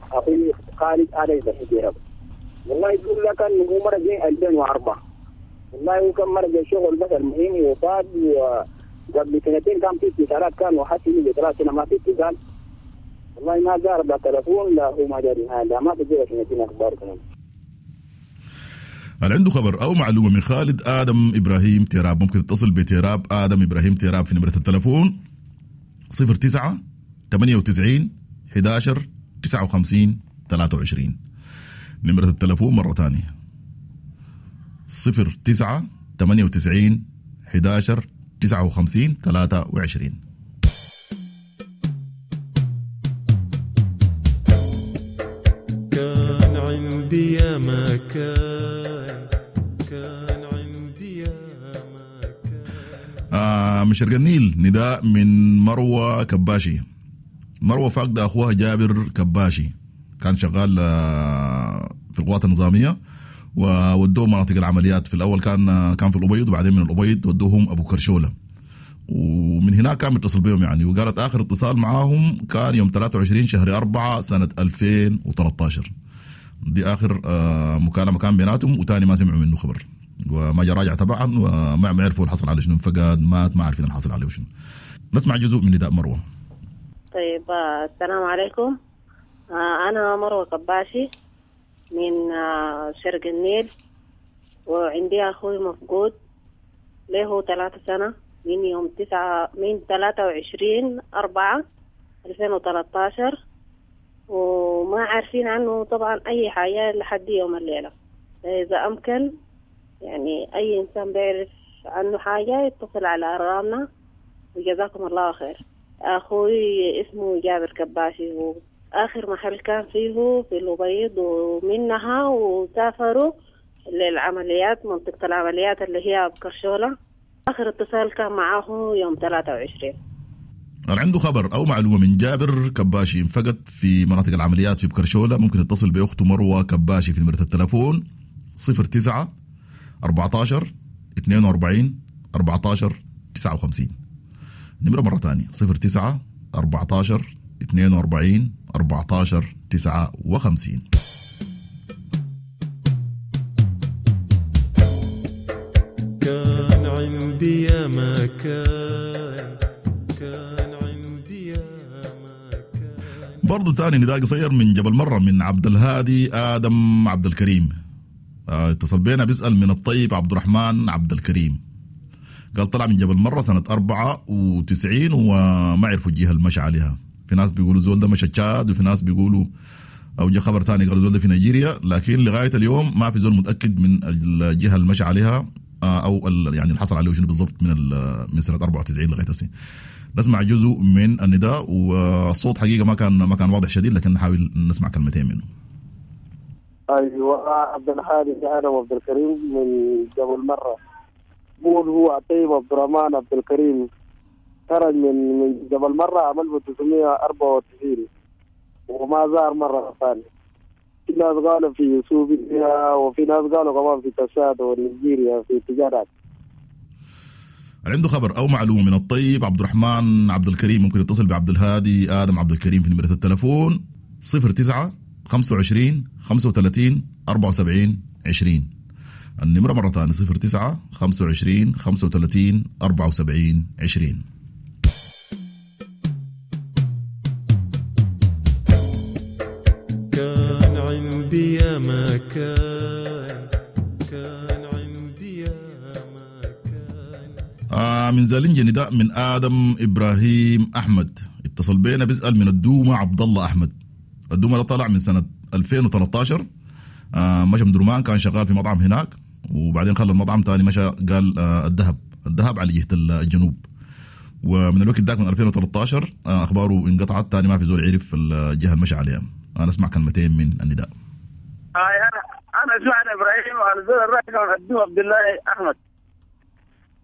خالد آدم إبراهيم تيراب. والله يقول لك إنه هو مرق 2004. والله هو كان مرق الشغل بس المهم وفاد، وقبل سنتين كان في اتصالات، كان وحتى من 3 سنة ما في اتصال. والله ما زار لا تلفون لا هو ما جاري لا ما في سنتين أخبار كمان. اللي عنده خبر أو معلومة من خالد آدم إبراهيم تيراب ممكن يتصل بتيراب آدم إبراهيم تيراب في نمرة التلفون 09 98 11 59 23. نمرة التلفون مرة ثانية 09 98 11 59 23. كان عندي يا ما كان، كان عندي يا ما كان. من شرق النيل نداء من مروة كباشي. مروة فاقدة أخوها جابر كباشي، كان شغال في القوات النظامية وودوه مناطق العمليات. في الأول كان في الأبيض، وبعدين من الأبيض ودوهم أبو كرشولة، ومن هناك كان متصل بهم يعني. وقالت آخر اتصال معاهم كان يوم 23 شهر 4 سنة 2013. دي آخر مكالمة كان بيناتهم، وتاني ما سمعوا منه خبر وما جا راجع طبعا، وما عرفوا الحصل على شنو، فقد مات ما عارفين الحصل عليه شنو. نسمع جزء من نداء مروة. طيب السلام عليكم، أنا مروة كباشي من شرق النيل، وعندي أخوي مفقود له 3 سنة من يوم 23/4/2013، وما عارفين عنه طبعا أي حاجة لحد يوم الليلة. إذا أمكن يعني أي إنسان بيعرف عنه حاجة يتصل على أرقامنا، وجزاكم الله خير. أخوي اسمه جابر كباشي. آخر محل كان فيه في الأبيض، ومنها وسافروا للعمليات، منطقة العمليات اللي هي بكرشولة. آخر اتصال كان معاه يوم 23. عنده خبر أو معلومة من جابر كباشي انفقد في مناطق العمليات في بكرشولة، ممكن يتصل بأخته مروة كباشي في نمرة التلفون 09 14 42 14 59. نمرة مرة ثانية 09 14 42 14 59. كان عندي يا مكان، كان عندي يا مكان. برضو ثاني نداء قصير من جبل مرة من عبد الهادي آدم عبد الكريم. اتصل بينا بيسأل من الطيب عبد الرحمن عبد الكريم، قال طلع من جبل مرة سنة 94 وما عرفوا الجهة اللي مشى عليها. في ناس بيقولوا زول ده مشى تشاد، وفي ناس بيقولوا أو جا خبر ثاني قالوا زول ده في نيجيريا، لكن لغاية اليوم ما في زول متأكد من الجهة اللي مشى عليها أو يعني اللي حصل عليه شنو بالضبط من سنة 94 لغاية هسه. نسمع جزء من النداء، والصوت حقيقة ما كان واضح شديد، لكن نحاول نسمع كلمتين منه. ايوه، عبد الحادي انا عبد الكريم من جبل مرة. بقول هو طيب عبد الرحمن عبد الكريم خرج من جبل مرة عام 1994 وما ظهر مرة ثانية. في ناس قالوا في سوريا، وفي ناس قالوا كمان في تشاد ونيجيريا في تجارات. عنده خبر أو معلومة من الطيب عبد الرحمن عبد الكريم ممكن يتصل بعبد الهادي آدم عبد الكريم في نمرة التلفون 09 25 35 74 20. النمرة مرة ثانية 09 25 35 74 20. كان عندي يا مكان، كان عندي يا مكان. من زالنجي نداء من آدم إبراهيم أحمد، اتصل بينا بيسأل من الدومة عبد الله أحمد. الدومة ده طلع من سنة 2013، مشى من درمان، كان شغال في مطعم هناك، وبعدين خلى المطعم تاني مشى قال الذهب على جهة الجنوب. ومن الوقت ذاك من 2013 أخباره انقطعت، تاني ما في زول عرف الجهة اللي مشى عليها. أنا أسمع كلمتين من النداء. أنا سمعت إبراهيم على زول الرئيس الدومة عبد الله أحمد.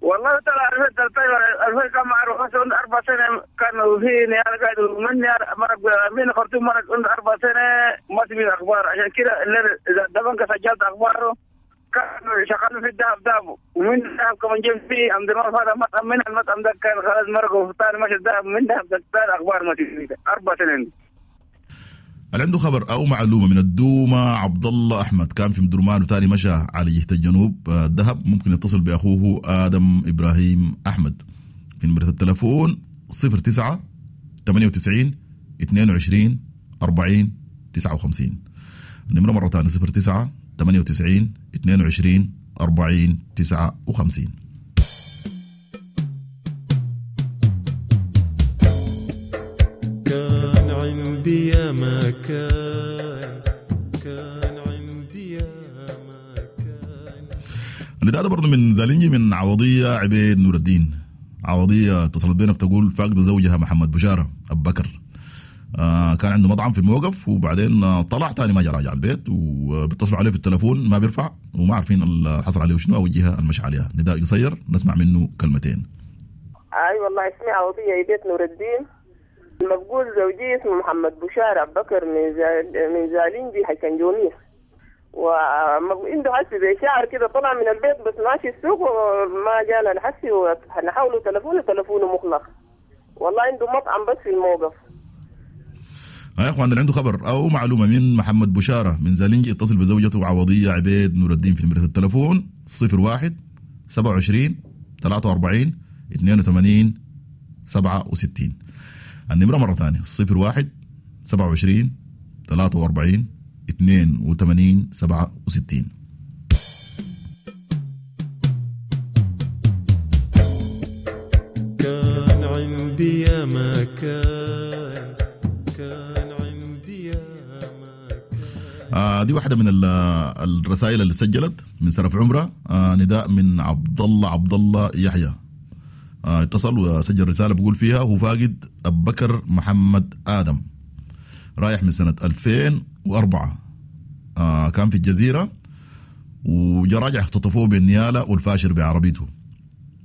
والله طلع 2013 كان معروف، 4 سنة كان فيني أنا قاعد مني مرق من خرطوم مرق 4 سنة ما تبي أخبار. عشان كده إذا دبنك سجلت أخباره كانوا شغالين في الذهب دابة، ومن الذهب كمان جيب فيه عند هذا مطعم، من المطعم ده كان خلاص مرقوا ثاني ماشي الذهب، من الذهب ده ثاني أخبار ما تبي 4 سنين. اللي عنده خبر أو معلومة من الدومة عبد الله أحمد كان في مدرمان وتاني مشى على جهة الجنوب الذهب، ممكن يتصل بأخوه آدم إبراهيم أحمد في نمرة التلفون 09 98 22 40 59. النمرة مرة ثانية 09 98 22 40 59. كان عندي يا مكان، كان عندي يا مكان. النداء ده برضه من زالينجي من عوضية عبيد نور الدين. عوضية اتصلت بينا بتقول فاقد زوجها محمد بشارة أبو بكر، كان عنده مطعم في الموقف، وبعدين طلع تاني ما جا راجع البيت، وبيتصلوا عليه في التلفون ما بيرفع، وما عارفين اللي حصل عليه شنو أو الجهة المشى عليها. نداء قصير نسمع منه كلمتين. أي والله اسمي عوضية عبيد نور الدين. المفقود زوجي اسمه محمد بشارة أبو بكر من زالينجي حيكنجونيس، وعنده حس زي شعر كده، طلع من البيت بس ماشي السوق وما جانا الحسي، ونحاوله تلفونه مغلق. والله عنده مطعم بس في الموقف. يا اخوان اللي عنده خبر او معلومه من محمد بشاره من زالينجي يتصل بزوجته عوضيه عبيد نور الدين في نمره التلفون 01 27 43 82 67. النمرة مرة ثانية 01 27 43 82 67. كان عندي يا مكان، كان عندي يا مكان. دي واحدة من الرسائل اللي سجلت من سرف عمرة. نداء من عبد الله يحيى، اتصل وسجل رسالة بيقول فيها هو فاقد أبو بكر محمد آدم. رايح من سنة 2004، كان في الجزيرة وجا راجع، اختطفوه بالنيالة والفاشر بعربيته.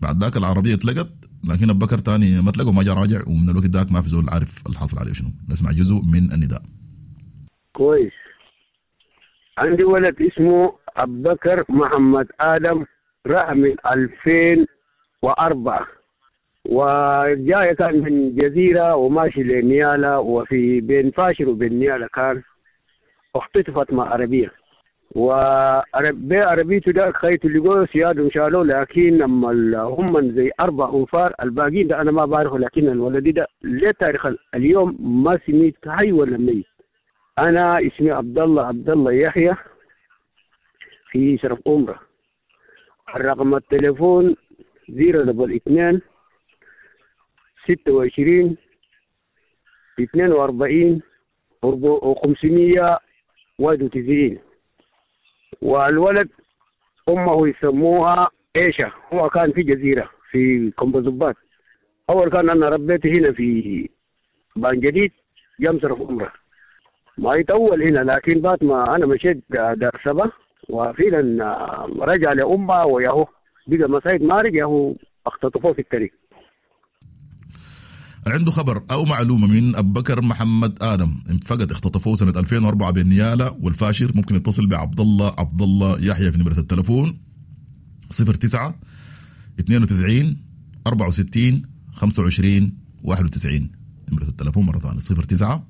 بعد ذاك العربية اتلقت، لكن ابو بكر تاني ما اتلقى وما جا راجع، ومن الوقت ذاك ما في زول عارف الحصل عليه شنو. نسمع جزء من النداء. كويس. عندي ولد اسمه أبو بكر محمد آدم، راح من 2004 وجاي كان من جزيرة وماشي لنيالة، وفي بين فاشر وبين نيالة كان اختطفت مع عربية، وعربيته ده خيته اللي جوه سيادهم شالوه، لكن لما هم زي 4 أنفار الباقيين ده أنا ما بعرفه، لكن الولد ده لتاريخ اليوم ما سميت حي ولا ميت. أنا اسمي عبد الله عبد الله يحيى في شرف أمرة. الرقم التليفون 022 26 42 591. والولد أمه يسموها عيشة، هو كان في جزيرة في كومبوزبات. أول كان أنا ربيته هنا في بان جديد جنب شرف أمرة، ما يطول هنا، لكن بعد ما أنا مشيت دار سبا وفعلا رجع لأمه وياهو بقى مسايد ما رجع، هو اختطفوه في الطريق. عنده خبر أو معلومة من أبو بكر محمد آدم فقد اختطفوه سنة 2004 بين نيالة والفاشر، ممكن يتصل بعبد الله عبد الله يحيى في نمرة التلفون 09 92 64 25 91. نمرة التلفون مرة ثانية 09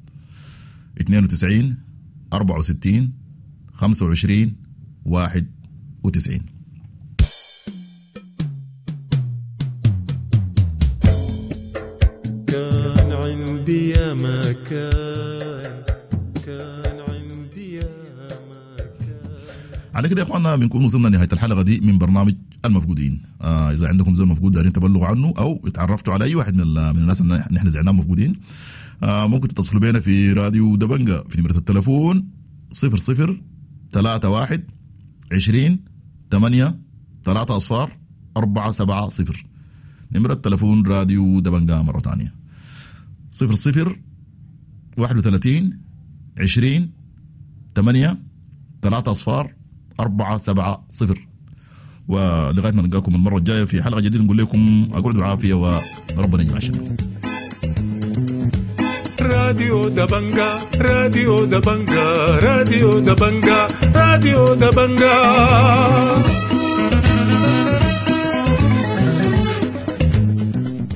92 64 25 91. كان عندي يا ما كان، كان عندي يا ما كان. على كده يا اخواننا بنكون وصلنا نهاية الحلقة دي من برنامج المفقودين. اذا عندكم زول مفقود دارين تبلغوا عنه او اتعرفتوا على اي واحد من الناس اللي نحن زعناهم مفقودين، ممكن تتصلوا بينا في راديو دبنجة في نمرة التلفون 00 31 20 8 3 0 4 7 0. نمرة التلفون راديو دبنجة مرة ثانية 00 31 20 8 3 0 4 7 0. ولغاية ما نلقاكم المرة الجاية في حلقة جديدة نقول لكم اقعدوا عافية وربنا يجمع شمل. راديو دبنجا، راديو دبنجا، راديو دبنجا، راديو دبنجا.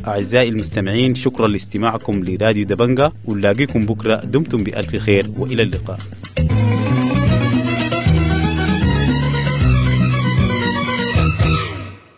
أعزائي المستمعين، شكرا لاستماعكم لراديو دبنجا، ونلاقيكم بكرة. دمتم بألف خير وإلى اللقاء.